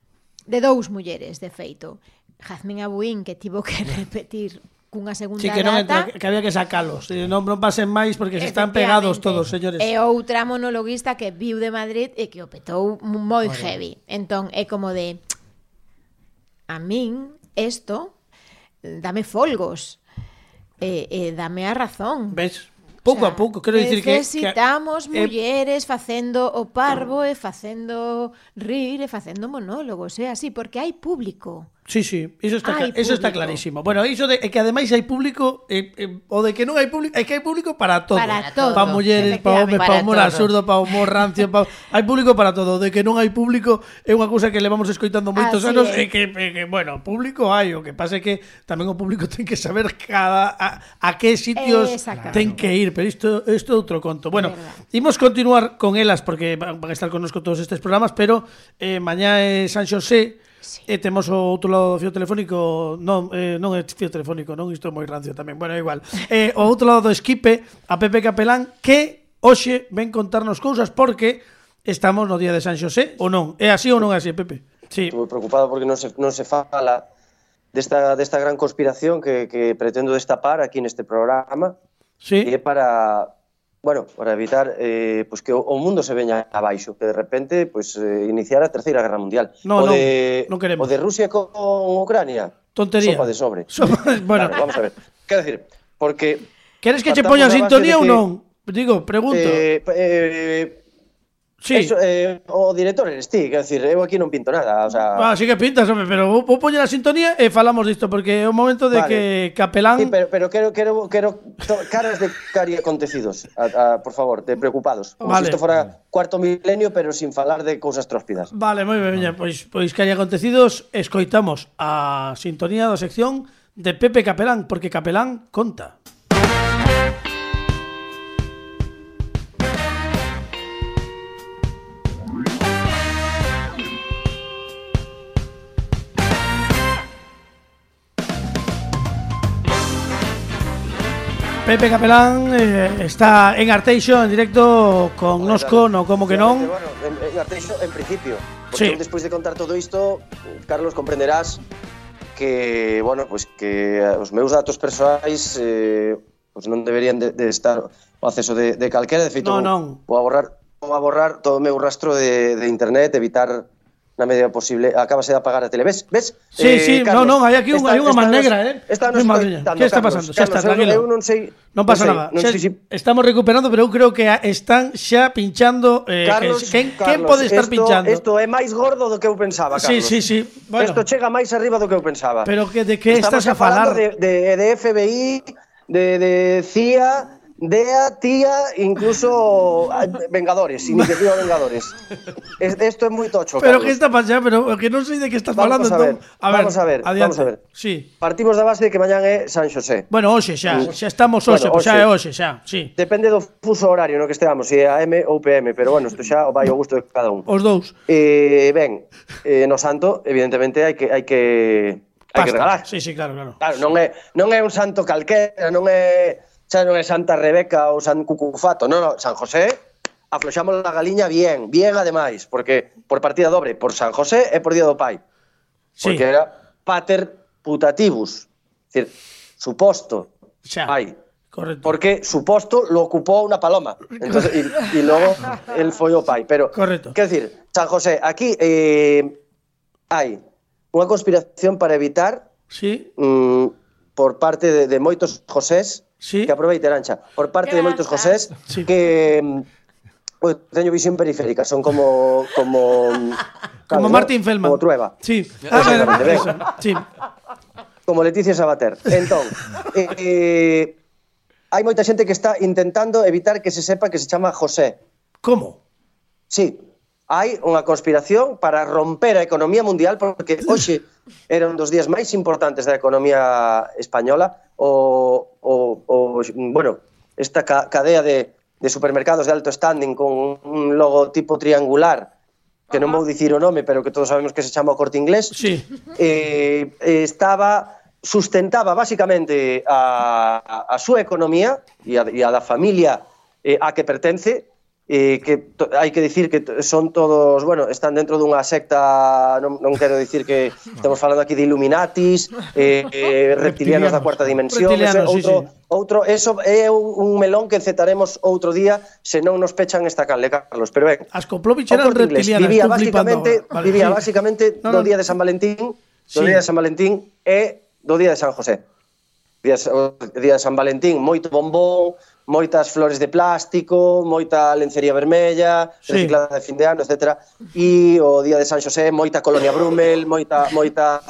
De dous mulleres, de feito. Jazmín Abuín, que tivo que repetir cunha segunda sí, que non data. Entra, que había que sacalos. Non, non pasen máis porque se están pegados todos, señores. E outra monologuista que viu de Madrid e que o petou moi heavy. Entón, é como de... A min, esto, dame folgos. E, e dame a razón. Ves? Pouco o sea, a pouco, quero dicir que necesitamos que, mulleres facendo o parvo e facendo rir e facendo monólogos, é así, porque hai público. Sí, sí, iso está, hai eso está clarísimo. Bueno, iso de que ademais hai público eh, eh, o de que non hai público, é que hai público para todo. Para todo. Para mulleres, para homes, para humor absurdo, para humor rancio, para... hai público para todo. De que non hai público é unha cousa que levamos escoitando moitos así anos é. e que, que, bueno, público hai, o que pasa é que tamén o público ten que saber cada a, a que sitios ten que ir, pero isto isto é outro conto. Bueno, imos continuar con elas porque van a estar connosco todos estes programas, pero eh, mañá é San Xosé. Sí. E temos o outro lado do fío telefónico. Non, eh, non é fío telefónico, non, isto é moi rancio tamén. Bueno, é igual. eh, O outro lado do Esquipe, a Pepe Capelán, que hoxe ven contarnos cousas porque estamos no día de San Xosé, ou non? É así ou non é así, Pepe? Sí. Estou preocupado porque non se, non se fala desta, desta gran conspiración que, que pretendo destapar aquí neste programa. Sí. E é para... Bueno, para evitar eh, pues que o, o mundo se veña abaixo, que de repente pues, eh, iniciar a Terceira Guerra Mundial. No, o, no, de, non queremos. o de Rusia con Ucrania. Tontería. Sopa de sobre. Sopa, bueno. Claro, vamos a ver. Quero decir, porque... Queres que che poña sintonía ou non? Digo, pregunto. Eh, eh, Sí. Eso, eh, o director eres ti, quero decir, eu aquí non pinto nada, o sea... Ah, sí que pintas, hombre, pero vou, vou poñer a sintonía e falamos disto, porque é o momento de vale. que Capelán... Sí, pero, pero quero, quero, quero caras de cari acontecidos, a, a, por favor, de preocupados. Como vale. Se isto fora cuarto milenio, pero sin falar de cousas tróspidas. Vale, moi ben, pois, pois cari acontecidos, escoitamos a sintonía da sección de Pepe Capelán, porque Capelán conta. Pepe Capelán eh, está en Arteixo en directo con Nosco, no como que non. Bueno, en, en Arteixo en principio, Sí. porque despois de contar todo isto, Carlos, comprenderás que, bueno, pues que os meus datos persoais eh, pues non deberían de, de estar o acceso de, de calquera, de feito, No, non. vou a borrar, vou a borrar todo o meu rastro de, de internet, evitar na medida posible. Acabase de apagar a tele. Ves? Ves? Sí, Eh, sí, Carlos, no, non, hai aquí un, esta- hai unha esta man nos- negra, eh. Esta Ai, nos madre está mía, quitando, que está Carlos. pasando? Xa está, Carlos, eu- tranquilo. Eu non sei, Non pasa sei, nada. non Xa sei si estamos recuperando, pero eu creo que a- están xa pinchando eh, Carlos, que, quen, Carlos, quen pode estar esto, pinchando? Isto é máis gordo do que eu pensaba, Carlos. Sí, sí, sí. Bueno, Isto chega máis arriba do que eu pensaba. pero que de que Estamos estás a falar? falando de, de, de F B I, de, de C I A, D E A, T I A, incluso ah, Vengadores, Iniciativa Vengadores. Es, esto é moi tocho, Pero Carlos. que está pasando, pero que non sei de que estás falando, Vamos a ver, entón. A ver, vamos a ver, adiante. vamos a ver. Sí. Partimos da base de que mañán é San Xosé. Bueno, hoxe xa, Mm. xa estamos hoxe, Bueno, pois xa hoxe. é hoxe, xa, sí. Depende do fuso horario no que esteamos, se é A M ou P M, pero bueno, isto xa vai ao gusto de cada un. Os dous. Eh, ben, eh, no santo, evidentemente, hai que hai que hai que Pasta. regalar. Sí, sí, claro, claro. Claro, non é non é un santo calquera, non é, xa non é Santa Rebeca ou San Cucufato, non, non, San José. Afloxamos a galiña bien, bien ademais, porque por partida dobre, por San José e por Día do Pai. Sí. Porque era pater putativus, es decir, suposto Xa. pai. Correcto. Porque suposto lo ocupó una paloma. Entonces, y, y luego él foi o pai. Pero, Correcto. quero decir, San José, aquí eh, hai unha conspiración para evitar Sí, mm, por parte de, de moitos Josés, Sí. que aproveiten ancha, por parte de moitos Josés, Sí. que mm, eu teño visión periférica, son como como como sabes, Martín ¿no? Feldman. Como Trueba. Sí. A ver, Exactamente, ben. eso. Sí. Como Leticia Sabater. Entón, eh, eh, hai moita xente que está intentando evitar que se sepa que se chama José. Como? Sí, hai unha conspiración para romper a economía mundial, porque hoxe era un dos días máis importantes da economía española, o, o, o bueno, esta ca cadea de, de supermercados de alto standing con un logotipo triangular, que non vou dicir o nome, pero que todos sabemos que se chama o Corte Inglés, Sí. eh, estaba sustentaba basicamente a, a, a súa economía e a, e a da familia eh, a que pertence, eh, que to, hai que dicir que son todos, bueno, están dentro dunha secta, non, non quero dicir que estamos falando aquí de Illuminatis, eh, eh, reptilianos da cuarta dimensión, Reptilianos, ese, sí, outro, sí. outro, eso é un, un melón que encetaremos outro día se non nos pechan esta canle, Carlos, pero ben, As Koplovich o eran Corte Inglés reptilianas. vivía estou flipando basicamente, agora. Vale, vivía sí. basicamente No, do no. día de San Valentín, do Sí. día de San Valentín e do día de San José. Día, o día de San Valentín, moito bombón, moitas flores de plástico, moita lencería vermella, Sí. reciclada de fin de ano, etcétera. E o día de San Xosé, moita colonia Brumel, moita moita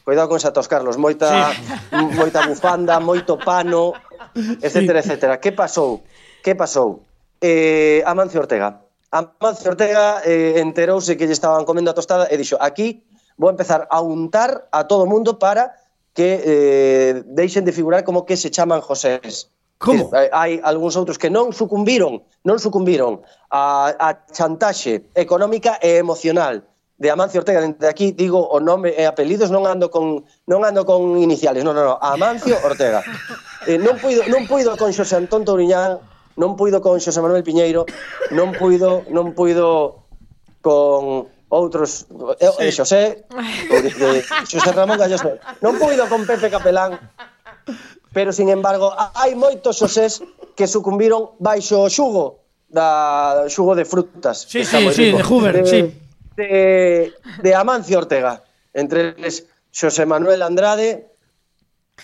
cuidado con esa tos, Carlos, moita Sí. moita bufanda, moito pano, etcétera, etcétera. Que pasou? Que pasou? Eh, Amancio Ortega. Amancio Ortega eh, enterouse que lle estaban comendo a tostada e dixo, aquí vou empezar a untar a todo o mundo para que eh, deixen de figurar como que se chaman Josés. Como? Eh, hai algúns outros que non sucumbiron, non sucumbiron a, a chantaxe económica e emocional de Amancio Ortega. Dende aquí digo o nome e apelidos, non ando con non ando con iniciales, non, non, non, Amancio Ortega. Eh, non puido non puido con Xosé Antón Touriñán, non puido con Xosé Manuel Piñeiro, non puido non puido con outros, eh, Sí. Xosé, de, de Xosé Ramón Galloso. Non puido con Pepe Capelán, pero, sin embargo, hai moitos Xosés que sucumbiron baixo o xugo da xugo de frutas. Sí, que está sí, moi sí, rico. de Hoover, de, sí. De, de Amancio Ortega. Entre eles, Xosé Manuel Andrade,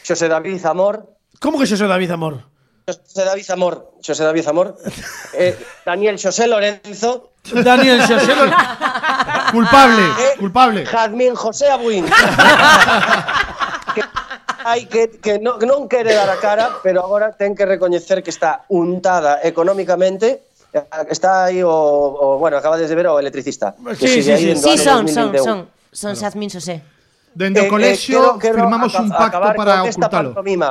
Xosé David Zamor, Como que xo David Amor? Xosé David Zamor, Xosé David Zamor, eh, Daniel Xosé Lorenzo, Daniel Xosé. Culpable, Eh, culpable. Jazmín José Abuín. que hai que, que non, non quere dar a cara, pero agora ten que recoñecer que está untada económicamente. Está aí o, o bueno, acabades de ver o electricista. Que Sí, sigue sí, aí sí. dentro Sí, do son, dos mil son, vinte e un. son. Son Xazmín Xosé. Dende o Eh, eh, colexio quero- quero firmamos aca- un pacto acabar para con esta ocultalo. pantomima.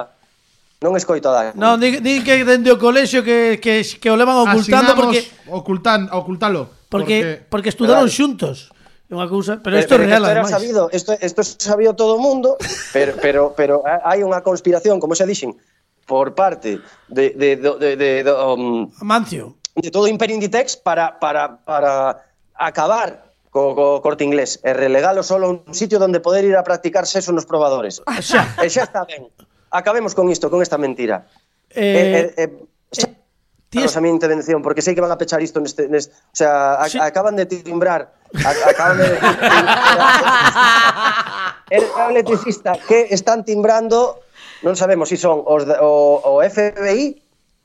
Non escoito a Dani. Non, di, di que dende o colexio que, que, que o levan ocultando Asignamos porque ocultan, ocultalo. porque porque estudaron Claro. xuntos. É unha cousa, pero Pero, isto é pero real esto era ademais. sabido, esto, esto sabía todo o mundo, pero, pero, pero hai unha conspiración, como xa dixen, por parte de, de, de, de, de, de, um, Amancio. de todo o Imperio Inditex para, para, para acabar co, co Corte Inglés e relegalo solo a un sitio donde poder ir a practicar sexo nos probadores. Xa. E xa está ben. Acabemos con isto, con esta mentira. Eh, Eh, eh, eh, Tienes... a mi intervención, porque sei que van a pechar isto neste, neste o sea, a, Sí. acaban de timbrar, a, acaban de era un electricista que están timbrando, non sabemos se si son os de, o, o F B I,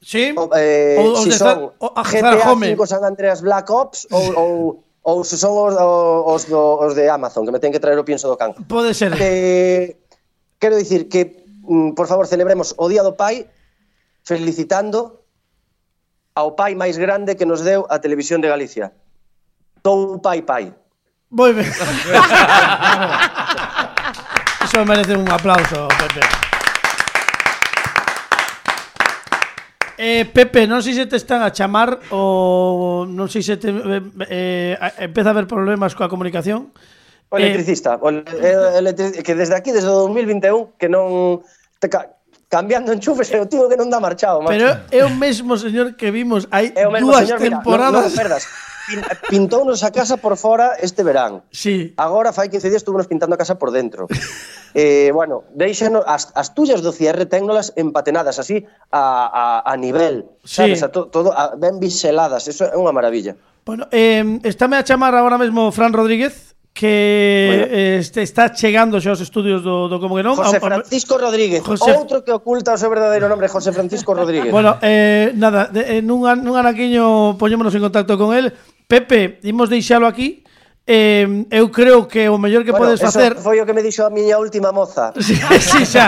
Sí. o, eh, O- os si de son Zar- o- a G T A Zarahome. cinco San Andreas Black Ops ou, ou, ou se son os, os, os de Amazon, que me ten que traer o pienso do can. Pode ser. Que, quero dicir que, mm, por favor, celebremos o Día do Pai felicitando ao pai máis grande que nos deu a Televisión de Galicia. Tou pai pai. Moi ben. Iso merece un aplauso, Pepe. Eh, Pepe, non sei se te están a chamar ou non sei se te eh, eh, empeza a haber problemas coa comunicación. O electricista, o ele- electric- que desde aquí, desde o dos mil vinte e un, que non... Te ca cambiando enchufes, é o tío que non dá marchado, macho. Pero é o mesmo señor que vimos hai É o mesmo dúas señor, mira, temporadas. non, non perdas. Pin, pintounos a casa por fora este verán. Sí. Agora fai quince días estuvemos pintando a casa por dentro. eh, bueno, deixanos as, as tullas do cierre técnolas empatenadas así a, a, a nivel, Sí. sabes, a to, todo a, ben biseladas, eso é unha maravilla. Bueno, eh, estáme a chamar agora mesmo Fran Rodríguez, que eh, este, está chegando xa aos estudios do, do Como que non. José A- a- Francisco Rodríguez, José- outro que oculta o seu verdadeiro nombre, José Francisco Rodríguez. Bueno, eh, nada, de, en un, an- nun anaquiño poñémonos en contacto con él. Pepe, imos deixalo aquí. Eh, eu creo que o mellor que bueno, podes eso facer... foi o que me dixo a miña última moza. Sí, sí, xa.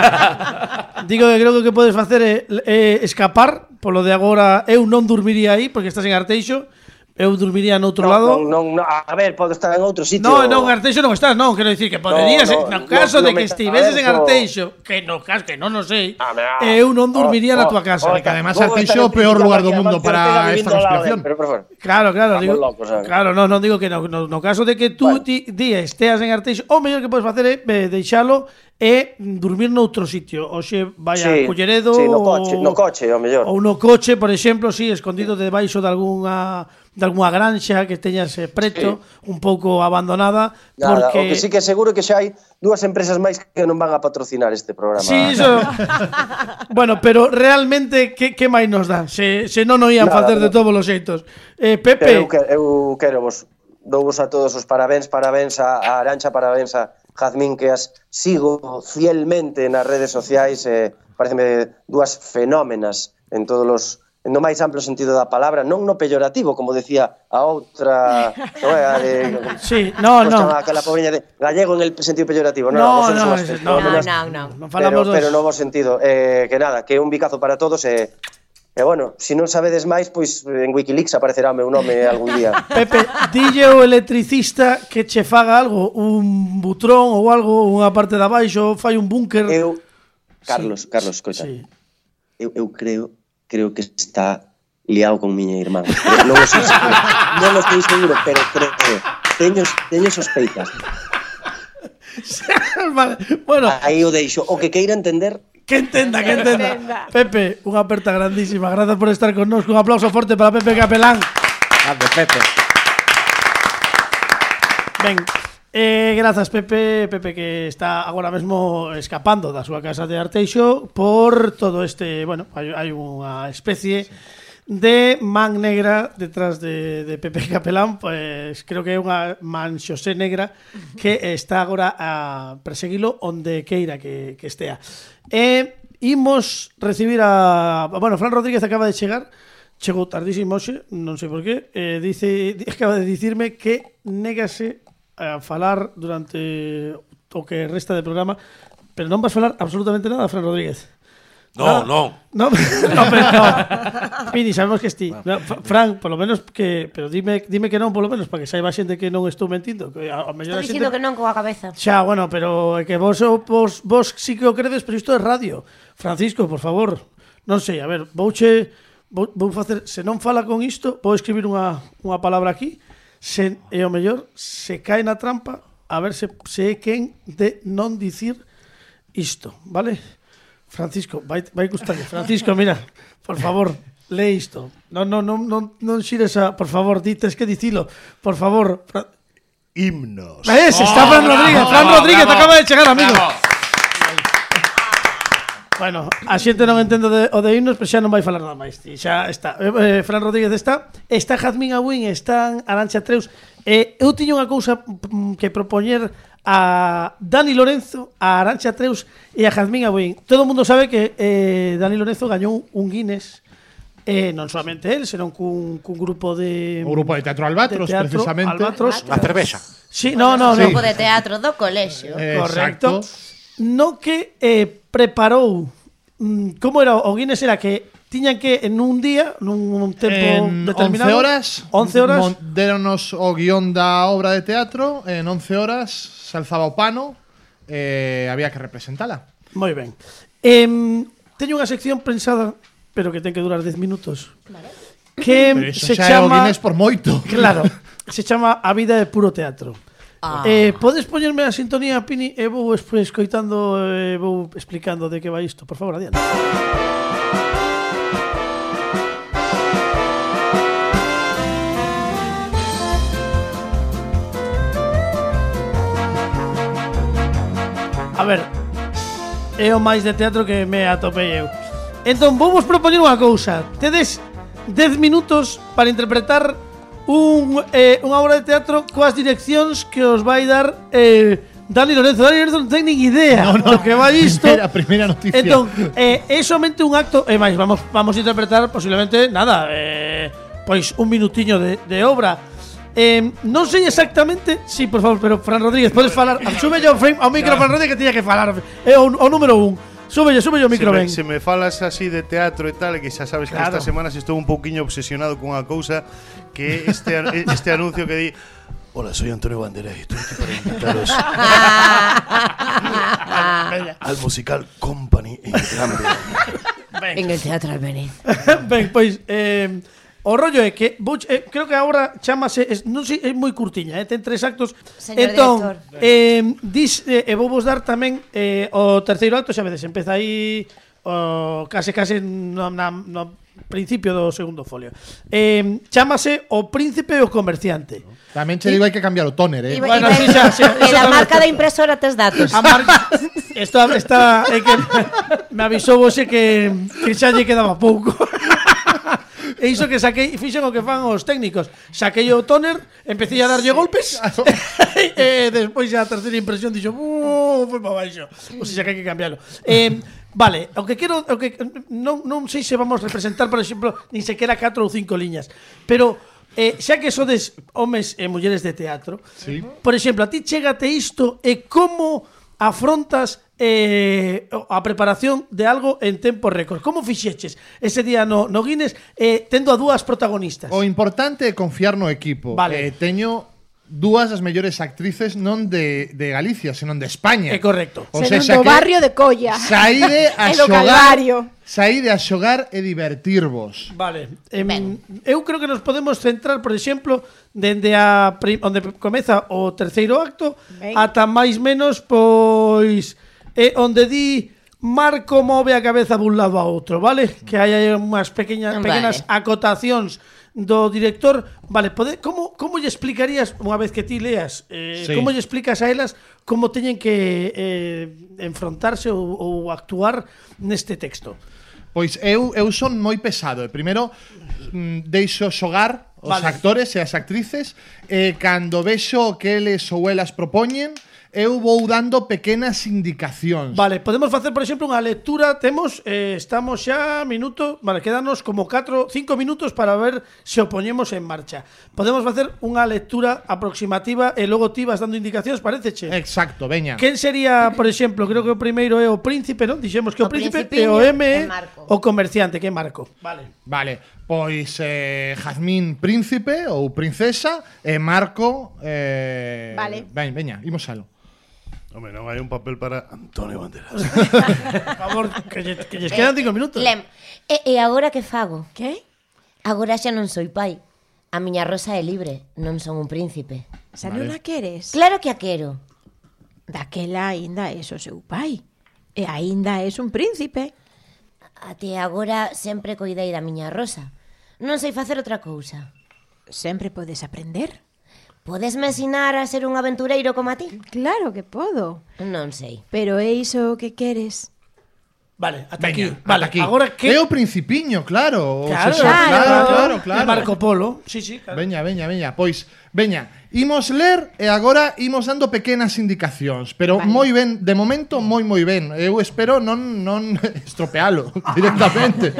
Digo que creo que o que podes facer é, é escapar. Polo de agora, eu non dormiría aí, porque estás en Arteixo. Eu dormiría no outro No, lado. non, non, non, a ver, podo estar en outro sitio. No, non, en Arteixo non estás, non, quero dicir que poderías, No, no, no no, caso no, de no que me- estiveses en a ver, no. Arteixo, que no caso que non o sei, Ah, me- eu non dormiría oh, na oh, tua casa. oh, Que además Luego Arteixo está é o peor electrificado lugar do aquí, mundo además, para Ortega esta vivindo ao lado conspiración. de él, pero por favor. Claro, claro, Estamos digo, locos, ¿sabes? claro, non, non digo que no, no, no caso de que tú Bueno. ti, ti esteas en Arteixo, o mellor que podes facer é eh, deixalo e dormir noutro sitio, oxe, vaya a Sí, Culleredo sí, no coche, ou- no coche, ao mellor. ou no coche, por exemplo, sí, escondido debaixo de algunha de algunha granxa que teñas eh, preto, un pouco abandonada, Nada, porque o que sí que é seguro que xa hai dúas empresas máis que non van a patrocinar este programa. Sí, iso. Bueno, pero realmente que que máis nos dá? Se se non o ían Nada, facer de no. todos os xeitos. Eh, Pero Pepe, eu, que- eu quero vos douvos a todos os parabéns, parabéns a, a Arancha, parabéns a Jazmín, que as sigo fielmente nas redes sociais, eh, pareceme dúas fenómenas en todos os no máis amplo sentido da palabra, non no peyorativo, como decía a outra, non é a de sí, no, como no. chama aquela pobriña de gallego en el sentido peyorativo, non, No, vosotros no, sois ese- No, fenómenas, no, no. Non falamos pero, dos. pero no bo sentido, eh, que nada, que un bicazo para todos e E bueno, se si non sabedes máis, pois en Wikileaks aparecerá o meu nome algún día. Pepe, dille o electricista que che faga algo, un butrón ou algo, unha parte de abaixo, fai un búnker. Eu, Carlos, Carlos, escoita. Sí. Eu, eu creo, creo que está liado con miña irmán. Pero non o sei seguro, non o sei seguro, pero creo que teño, teño sospeitas. Vale. Bueno, Aí o deixo. O que queira entender, que entenda, que entenda. entenda. Pepe, unha aperta grandísima. Gracias por estar con nos. Un aplauso forte para Pepe Capelán. Ande, Pepe. Ben, eh, grazas Pepe, Pepe que está agora mesmo escapando da súa casa de Arteixo por todo este, bueno, hai, hai unha especie de man negra detrás de, de Pepe Capelán, pues creo que é unha man xosé negra que está agora a perseguilo onde queira que, que estea. E imos recibir a... Bueno, Fran Rodríguez acaba de chegar, chegou tardísimo hoxe, non sei por qué, eh, dice, acaba de dicirme que négase a falar durante o que resta de programa, pero non vas falar absolutamente nada, Fran Rodríguez. No, Nada. no. No, no, pero no. Pini, sabemos que esti. No, F- Fran, por lo menos que, pero dime, dime que non, por lo menos para que saiba a xente que non estou mentindo, que a, a mellor a Estou xente dicindo que non coa cabeza. Xa, bueno, pero é que vos, vos, vos sí que o credes, pero isto é radio. Francisco, por favor, non sei, a ver, vouche vou, vou facer, se non fala con isto, vou escribir unha, unha palabra aquí, se, e o mellor, se cae na trampa, a ver se, se é quen de non dicir isto, vale? Francisco, vai, vai gustarlle. Francisco, mira, por favor, lee isto. Non, non, non, non, non xires a... Por favor, dites que dicilo. Por favor. Fra... Himnos. Ves, oh, está Fran Rodríguez. Bravo, Fran Rodríguez bravo. Acaba de chegar, amigo. Bravo. Bueno, a xente non entendo de, o de himnos, pero xa non vai falar nada máis. E xa está. Eh, Fran Rodríguez está. Está Jazmín Abuín, están Arantxa Treus. Eh, eu tiño unha cousa que propoñer a Dani Lorenzo, a Arantxa Treus e a Jazmín Abuín. Todo o mundo sabe que eh, Dani Lorenzo gañou un Guinness, eh, non solamente él, senón cun, cun grupo de... O grupo de teatro Albatros, de teatro, precisamente. Albatros. A cervexa. Sí, no, no, no. O no. grupo de teatro do colexio. Eh, Correcto. Exacto. No que eh, preparou... Mm, como era? O Guinness era que tiñan que en un día, nun tempo en determinado, once horas, once horas deronos o guión da obra de teatro, en once horas se alzaba o pano, eh, había que representala. Moi ben. Eh, teño unha sección pensada, pero que ten que durar dez minutos. Vale. Que pero eso se xa chama é o Guinness por moito. Claro, se chama A vida de puro teatro. Ah. Eh, podes poñerme a sintonía, Pini, e vou escoitando e eh, vou explicando de que vai isto. Por favor, adiante. A ver, é o máis de teatro que me atopei eu. Entón, vou vos propoñer unha cousa. Tedes dez minutos para interpretar un, eh, unha obra de teatro coas direccións que os vai dar eh, Dani Lorenzo. Dani Lorenzo non ten nin idea no, no, do que vai isto. Primeira, primeira noticia. Entón, eh, é somente un acto. E máis, vamos, vamos a interpretar posiblemente, nada, eh, pois un minutiño de, de obra. Eh, non sei exactamente. Sí, por favor, pero Fran Rodríguez, podes falar. Sube yo frame ao micro, Fran Rodríguez, que tiña que falar. É o, o número un. Sube yo, sube yo o micro, se ben. me, se me falas así de teatro e tal, que xa sabes claro. que estas semanas estou un pouquiño obsesionado con unha cousa, que este, este anuncio que di: hola, soy Antonio Banderas y estoy aquí para invitaros al musical Company en Granby. En el Teatro Albeniz. Ben, pois eh, o rollo é que vou, eh, creo que agora chámase, es, non sei, é moi curtiña, eh, ten tres actos. Señor entón, director. eh, dis, eh, e vou vos dar tamén eh, o terceiro acto, xa vedes, empeza aí o, case case no, na, no principio do segundo folio. Eh, chámase O Príncipe e o Comerciante. Tamén che digo, hai que cambiar o tóner, eh. Y, Bueno, y, sí, xa, xa, e da marca da impresora tes datos. A marca está, está é que me avisou hoxe que, que xa lle quedaba pouco. E iso que saquei, fixen o que fan os técnicos. Saquei o tóner, empecé a darlle golpes e despois a terceira impresión dixo, uh, foi para baixo. O sea, que hai que cambiarlo. Eh, vale, o que quero, o que non non sei se vamos representar, por exemplo, nin sequera catro ou cinco liñas, pero eh, xa que sodes homes e mulleres de teatro, sí. Por exemplo, a ti chégate isto e como afrontas eh, a preparación de algo en tempo récord. Como fixeches ese día no, no Guinness eh, tendo a dúas protagonistas? O importante é confiar no equipo. Vale. Eh, teño dúas das mellores actrices non de, de Galicia, senón de España. É correcto. O Senón sea, do que barrio de Colla. Saíde a E do xogar, Calvario. saíde a xogar e divertirvos. Vale. Em, eu creo que nos podemos centrar, por exemplo, dende a prim, onde comeza o terceiro acto, Ben. ata máis menos pois eh, onde di Marco move a cabeza dun lado a outro, vale? Que hai aí unhas pequeñas Vale. pequenas acotacións do director. Vale, pode, como como lle explicarías unha vez que ti leas, eh, Sí. como lle explicas a elas como teñen que eh, enfrontarse ou, ou actuar neste texto? Pois eu, eu son moi pesado. E primeiro mm, deixo xogar os Vale. actores e as actrices, e cando vexo que eles ou elas propoñen, eu vou dando pequenas indicacións. Vale, podemos facer, por exemplo, unha lectura. Temos, eh, estamos xa minuto, vale, quedanos como catro, cinco minutos para ver se o poñemos en marcha. Podemos facer unha lectura aproximativa e logo ti vas dando indicacións, pareceche? Exacto, veña. Quen sería, por exemplo, creo que o primeiro é o príncipe, non? Dixemos que o, O príncipe e principiño o M é é Marco. o comerciante, que é Marco. Vale. Vale, pois eh, Jazmín príncipe ou princesa e Marco eh, Vale. Ben, veña, imos alo. Home, non hai un papel para Antonio Banderas. Por favor, que, lle, que lles quedan cinco minutos. Lem. E, e agora que fago? Que? Agora xa non soy pai. A miña rosa é libre, non son un príncipe. Xa non a queres? Claro que a quero. Daquela aínda é o seu pai. E aínda és un príncipe. Até agora sempre coidei da miña rosa. Non sei facer outra cousa. Sempre podes aprender. Podesme ensinar a ser un aventureiro como a ti? Claro que podo. Non sei. Pero é iso que queres? Vale, ata Veña, aquí. Vale, ata aquí. agora que... É o Principiño, claro. Claro, O sea, claro, claro, claro, claro. E Marco Polo. Sí, sí, claro. Veña, veña, veña. Pois, veña, imos ler e agora imos dando pequenas indicacións, pero Vale. moi ben, de momento moi moi ben. Eu espero non non estropealo directamente.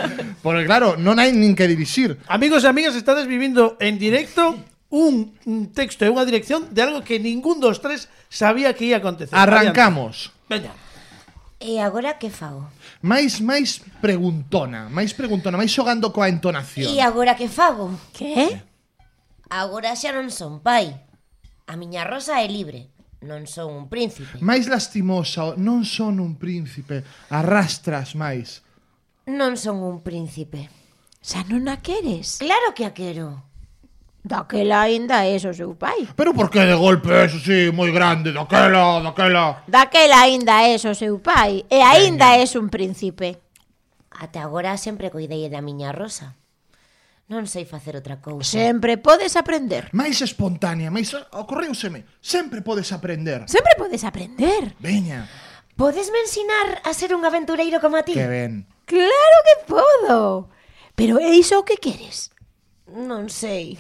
Porque claro, non hai nin que dirixir. Amigos e amigas, estades vivindo en directo un, un texto e unha dirección de algo que ningún dos tres sabía que ia acontecer. Arrancamos. Adiante. Veña. E agora que fago? máis máis preguntona, máis preguntona, máis xogando coa entonación. E agora que fago? Que? Agora xa non son pai. A miña rosa é libre. Non son un príncipe. Máis lastimosa, non son un príncipe, arrastras máis. Non son un príncipe. Xa non a queres? Claro que a quero. Daquela aínda és o seu pai. Pero por que de golpe eso sí, moi grande, daquela, daquela? Daquela aínda és o seu pai e aínda és un príncipe. Até agora sempre coidei da miña rosa. Non sei facer outra cousa. Sempre podes aprender. Máis espontánea, máis ocorreuseme. Sempre podes aprender. Sempre podes aprender. Veña, Podesme ensinar a ser un aventureiro como a ti? que ben. Claro que podo. Pero é iso o que queres? Non sei.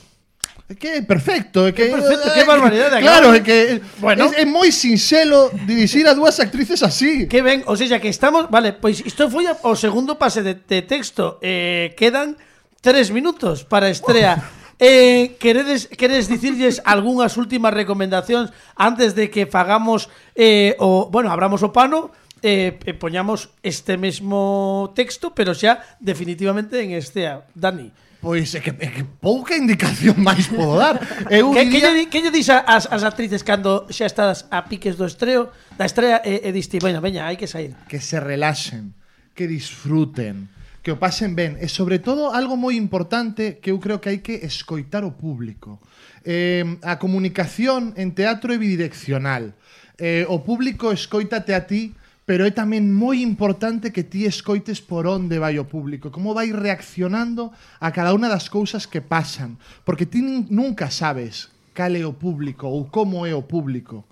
É que é perfecto, é que perfecto, é que barbaridade, Claro, acabo. é que Bueno. é, é moi sinxelo dirixir a dúas actrices así. Que ben, ou seja, que estamos... Vale, pois isto foi a- o segundo pase de, de texto. Eh, quedan tres minutos para a estrea. Eh, queredes, queredes dicirlles algunhas últimas recomendacións antes de que fagamos eh, o... Bueno, abramos o pano e eh, poñamos este mesmo texto, pero xa definitivamente en estea. Dani. Pois é que, é que pouca indicación máis podo dar. Eu Que, que, diría... lle, di- que lle dis a- as, as actrices cando xa estás a piques do estreo, da estrea e, e diste, bueno, veña, hai que sair. que se relaxen, que disfruten, que o pasen ben e sobre todo algo moi importante que eu creo que hai que escoitar o público. Eh, a comunicación en teatro é bidireccional. Eh, o público escoítate a ti, pero é tamén moi importante que ti escoites por onde vai o público, como vai reaccionando a cada unha das cousas que pasan, porque ti nin- nunca sabes cal é o público ou como é o público.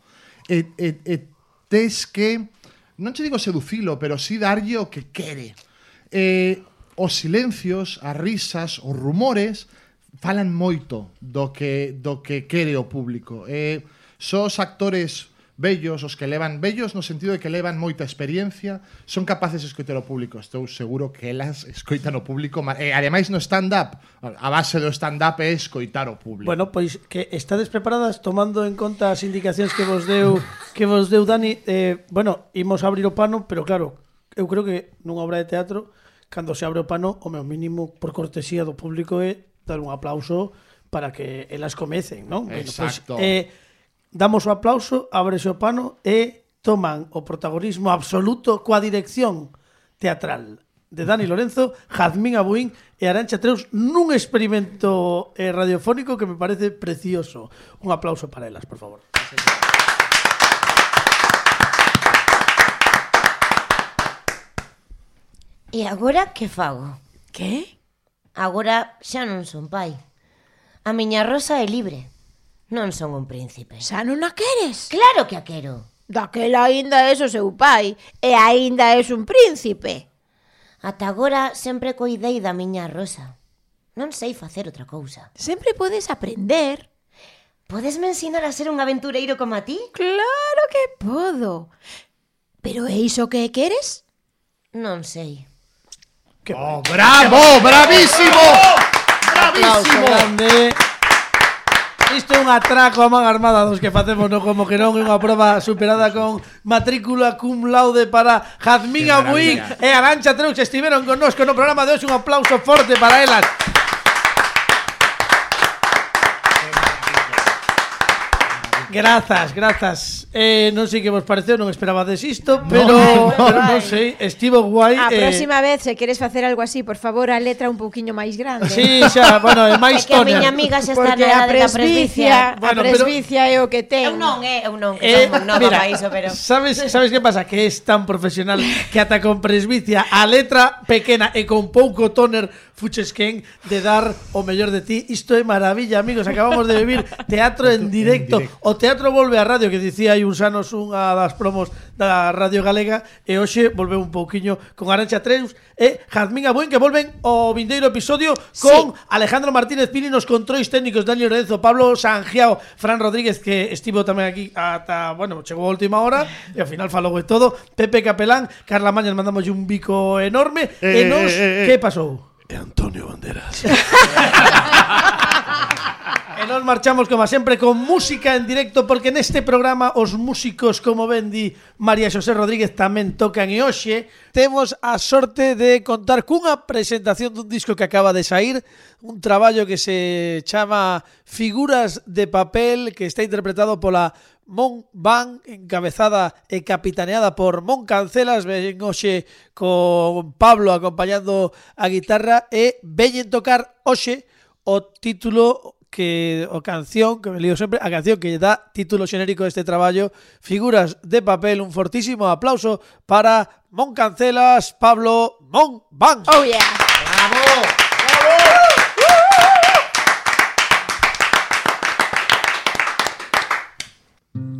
E, e, e tes que, non che digo seducilo, pero sí darlle o que quere. Eh, os silencios, as risas, os rumores falan moito do que do que quere o público. Eh, só os actores vellos, os que levan vellos no sentido de que levan moita experiencia, son capaces de escoitar o público. Estou seguro que elas escoitan o público, e eh, ademais no stand-up, a base do stand-up é escoitar o público. Bueno, pois que estades preparadas tomando en conta as indicacións que vos deu que vos deu Dani, eh, bueno, imos abrir o pano, pero claro, eu creo que nunha obra de teatro, cando se abre o pano, o meu mínimo por cortesía do público é dar un aplauso para que elas comecen, non? Exacto. Bueno, pois, eh, damos o aplauso, ábrese o pano e toman o protagonismo absoluto coa dirección teatral de Dani Lorenzo, Jazmín Abuín e Arantxa Treus nun experimento eh, radiofónico que me parece precioso. Un aplauso para elas, por favor. E agora que fago? Que? Agora xa non son pai. A miña rosa é libre. Non son un príncipe. Xa non a queres? Claro que a quero. Daquela aínda és o seu pai e aínda és un príncipe. Ata agora sempre coidei da miña rosa. Non sei facer outra cousa. Sempre podes aprender. Podesme ensinar a ser un aventureiro como a ti? Claro que podo. Pero é iso que queres? Non sei. Que Oh, bravo, bravísimo. aplauso Bravísimo. grande. Isto é un atraco a man armada dos que facemos no Como que non, é unha proba superada con matrícula cum laude para Jazmín Qué Abuín maravilla. e Arantxa Treus que estiveron connosco no programa de hoxe. Un aplauso forte para elas. Grazas, grazas. Eh, non sei que vos pareceu, non esperabades isto, pero, no, pero non sei, estivo guai. A eh, próxima vez, se queres facer algo así, por favor, a letra un pouquiño máis grande. Sí, xa, bueno, é máis É que a toner. miña amiga xa está Porque na a edade da presbicia, presbicia. Bueno, a presbicia é o que ten. Eu non, eh, eu non, que Eh, son nova mira, para iso, pero... sabes, sabes que pasa? Que es tan profesional que ata con presbicia a letra pequena e con pouco toner fuches quen de dar o mellor de ti. Isto é maravilla, amigos. Acabamos de vivir teatro en directo. O teatro volve á radio, que dicía hai uns anos unha das promos da Radio Galega, e hoxe volveu un pouquiño con Arancha Treus e Jazmín Abuen, que volven o vindeiro episodio con sí. Alejandro Martínez Pini nos controis técnicos, Daniel Lorenzo, Pablo Sangiao, Fran Rodríguez, que estivo tamén aquí ata, bueno, chegou a última hora e ao final falou de todo, Pepe Capelán, Carla Mañas, mandamos un bico enorme. Eh, e nos, eh, eh, que pasou? É Antonio Banderas. E nos marchamos, como sempre, con música en directo, porque neste programa os músicos, como ben di María Xosé Rodríguez, tamén tocan, e hoxe temos a sorte de contar cunha presentación dun disco que acaba de sair, un traballo que se chama Figuras de Papel, que está interpretado pola Mon Van, encabezada e capitaneada por Mon Cancelas. Ven hoxe con Pablo acompañando a guitarra e veñen tocar hoxe o título que o canción, que me lío sempre, a canción que dá título xenérico deste traballo, Figuras de Papel. Un fortísimo aplauso para Mon Cancelas, Pablo Mon Van. Oh yeah. Bravo.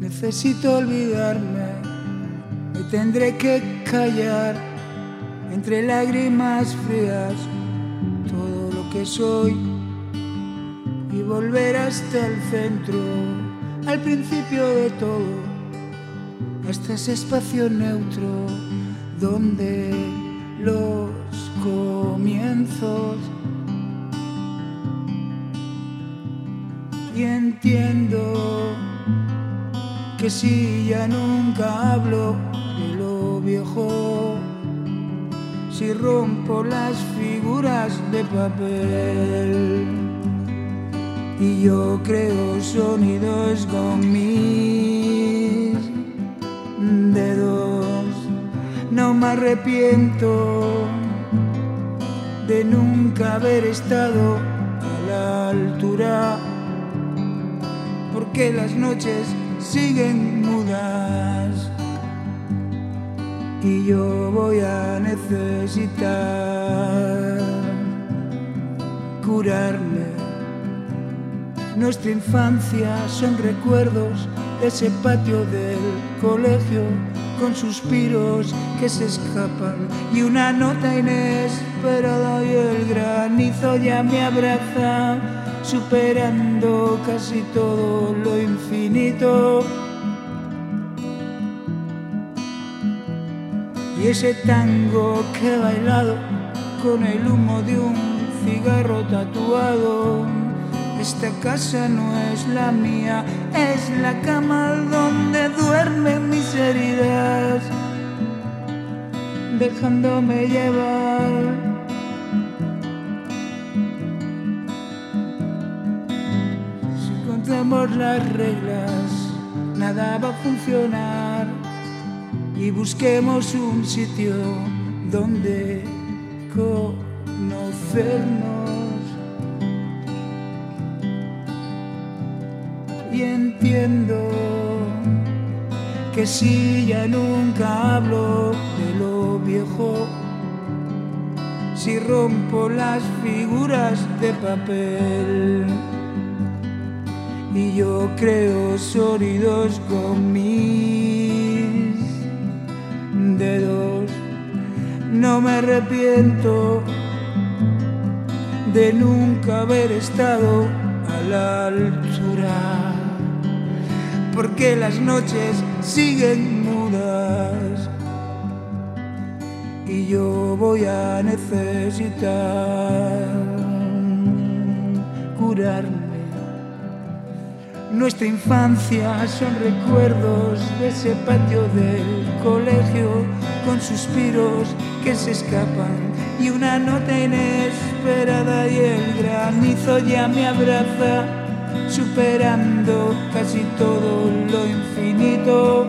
Necesito olvidarme, me tendré que callar entre lágrimas frías todo lo que soy y volver hasta el centro, al principio de todo, hasta ese espacio neutro donde los comienzos. Y entiendo que si ya nunca hablo de lo viejo, si rompo las figuras de papel y yo creo sonidos con mis dedos, no me arrepiento de nunca haber estado a la altura, porque las noches siguen mudas y yo voy a necesitar curarme. Nuestra infancia son recuerdos de ese patio del colegio con suspiros que se escapan y una nota inesperada y el granizo ya me abraza, superando casi todo lo infinito. Y ese tango que he bailado con el humo de un cigarro tatuado. Esta casa no es la mía, es la cama donde duermen mis heridas, dejándome llevar. Si contamos las reglas, nada va a funcionar. Y busquemos un sitio donde conocernos. Y entiendo que si ya nunca hablo de lo viejo, si rompo las figuras de papel y yo creo sonidos con mis dedos, no me arrepiento de nunca haber estado a la altura, porque las noches siguen mudas y yo voy a necesitar curarme. Nuestra infancia son recuerdos de ese patio del colegio con suspiros que se escapan y una nota inesperada y el granizo ya me abraza, superando casi todo lo infinito.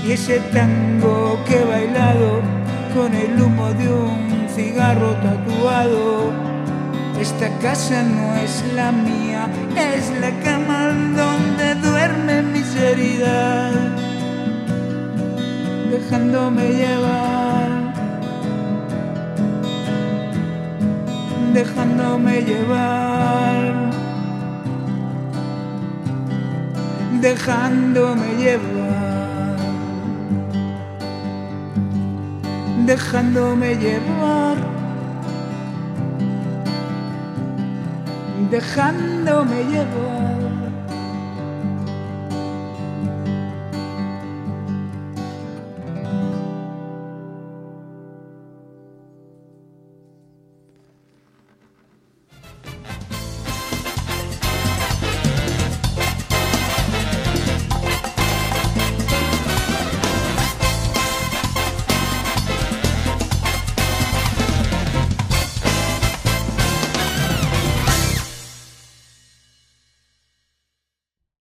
Y ese tango que he bailado con el humo de un cigarro tatuado. Esta casa no es la mía, es la cama donde duermen mis heridas, dejándome llevar, dejándome llevar, dejándome llevar, dejándome llevar, dejándome llevar.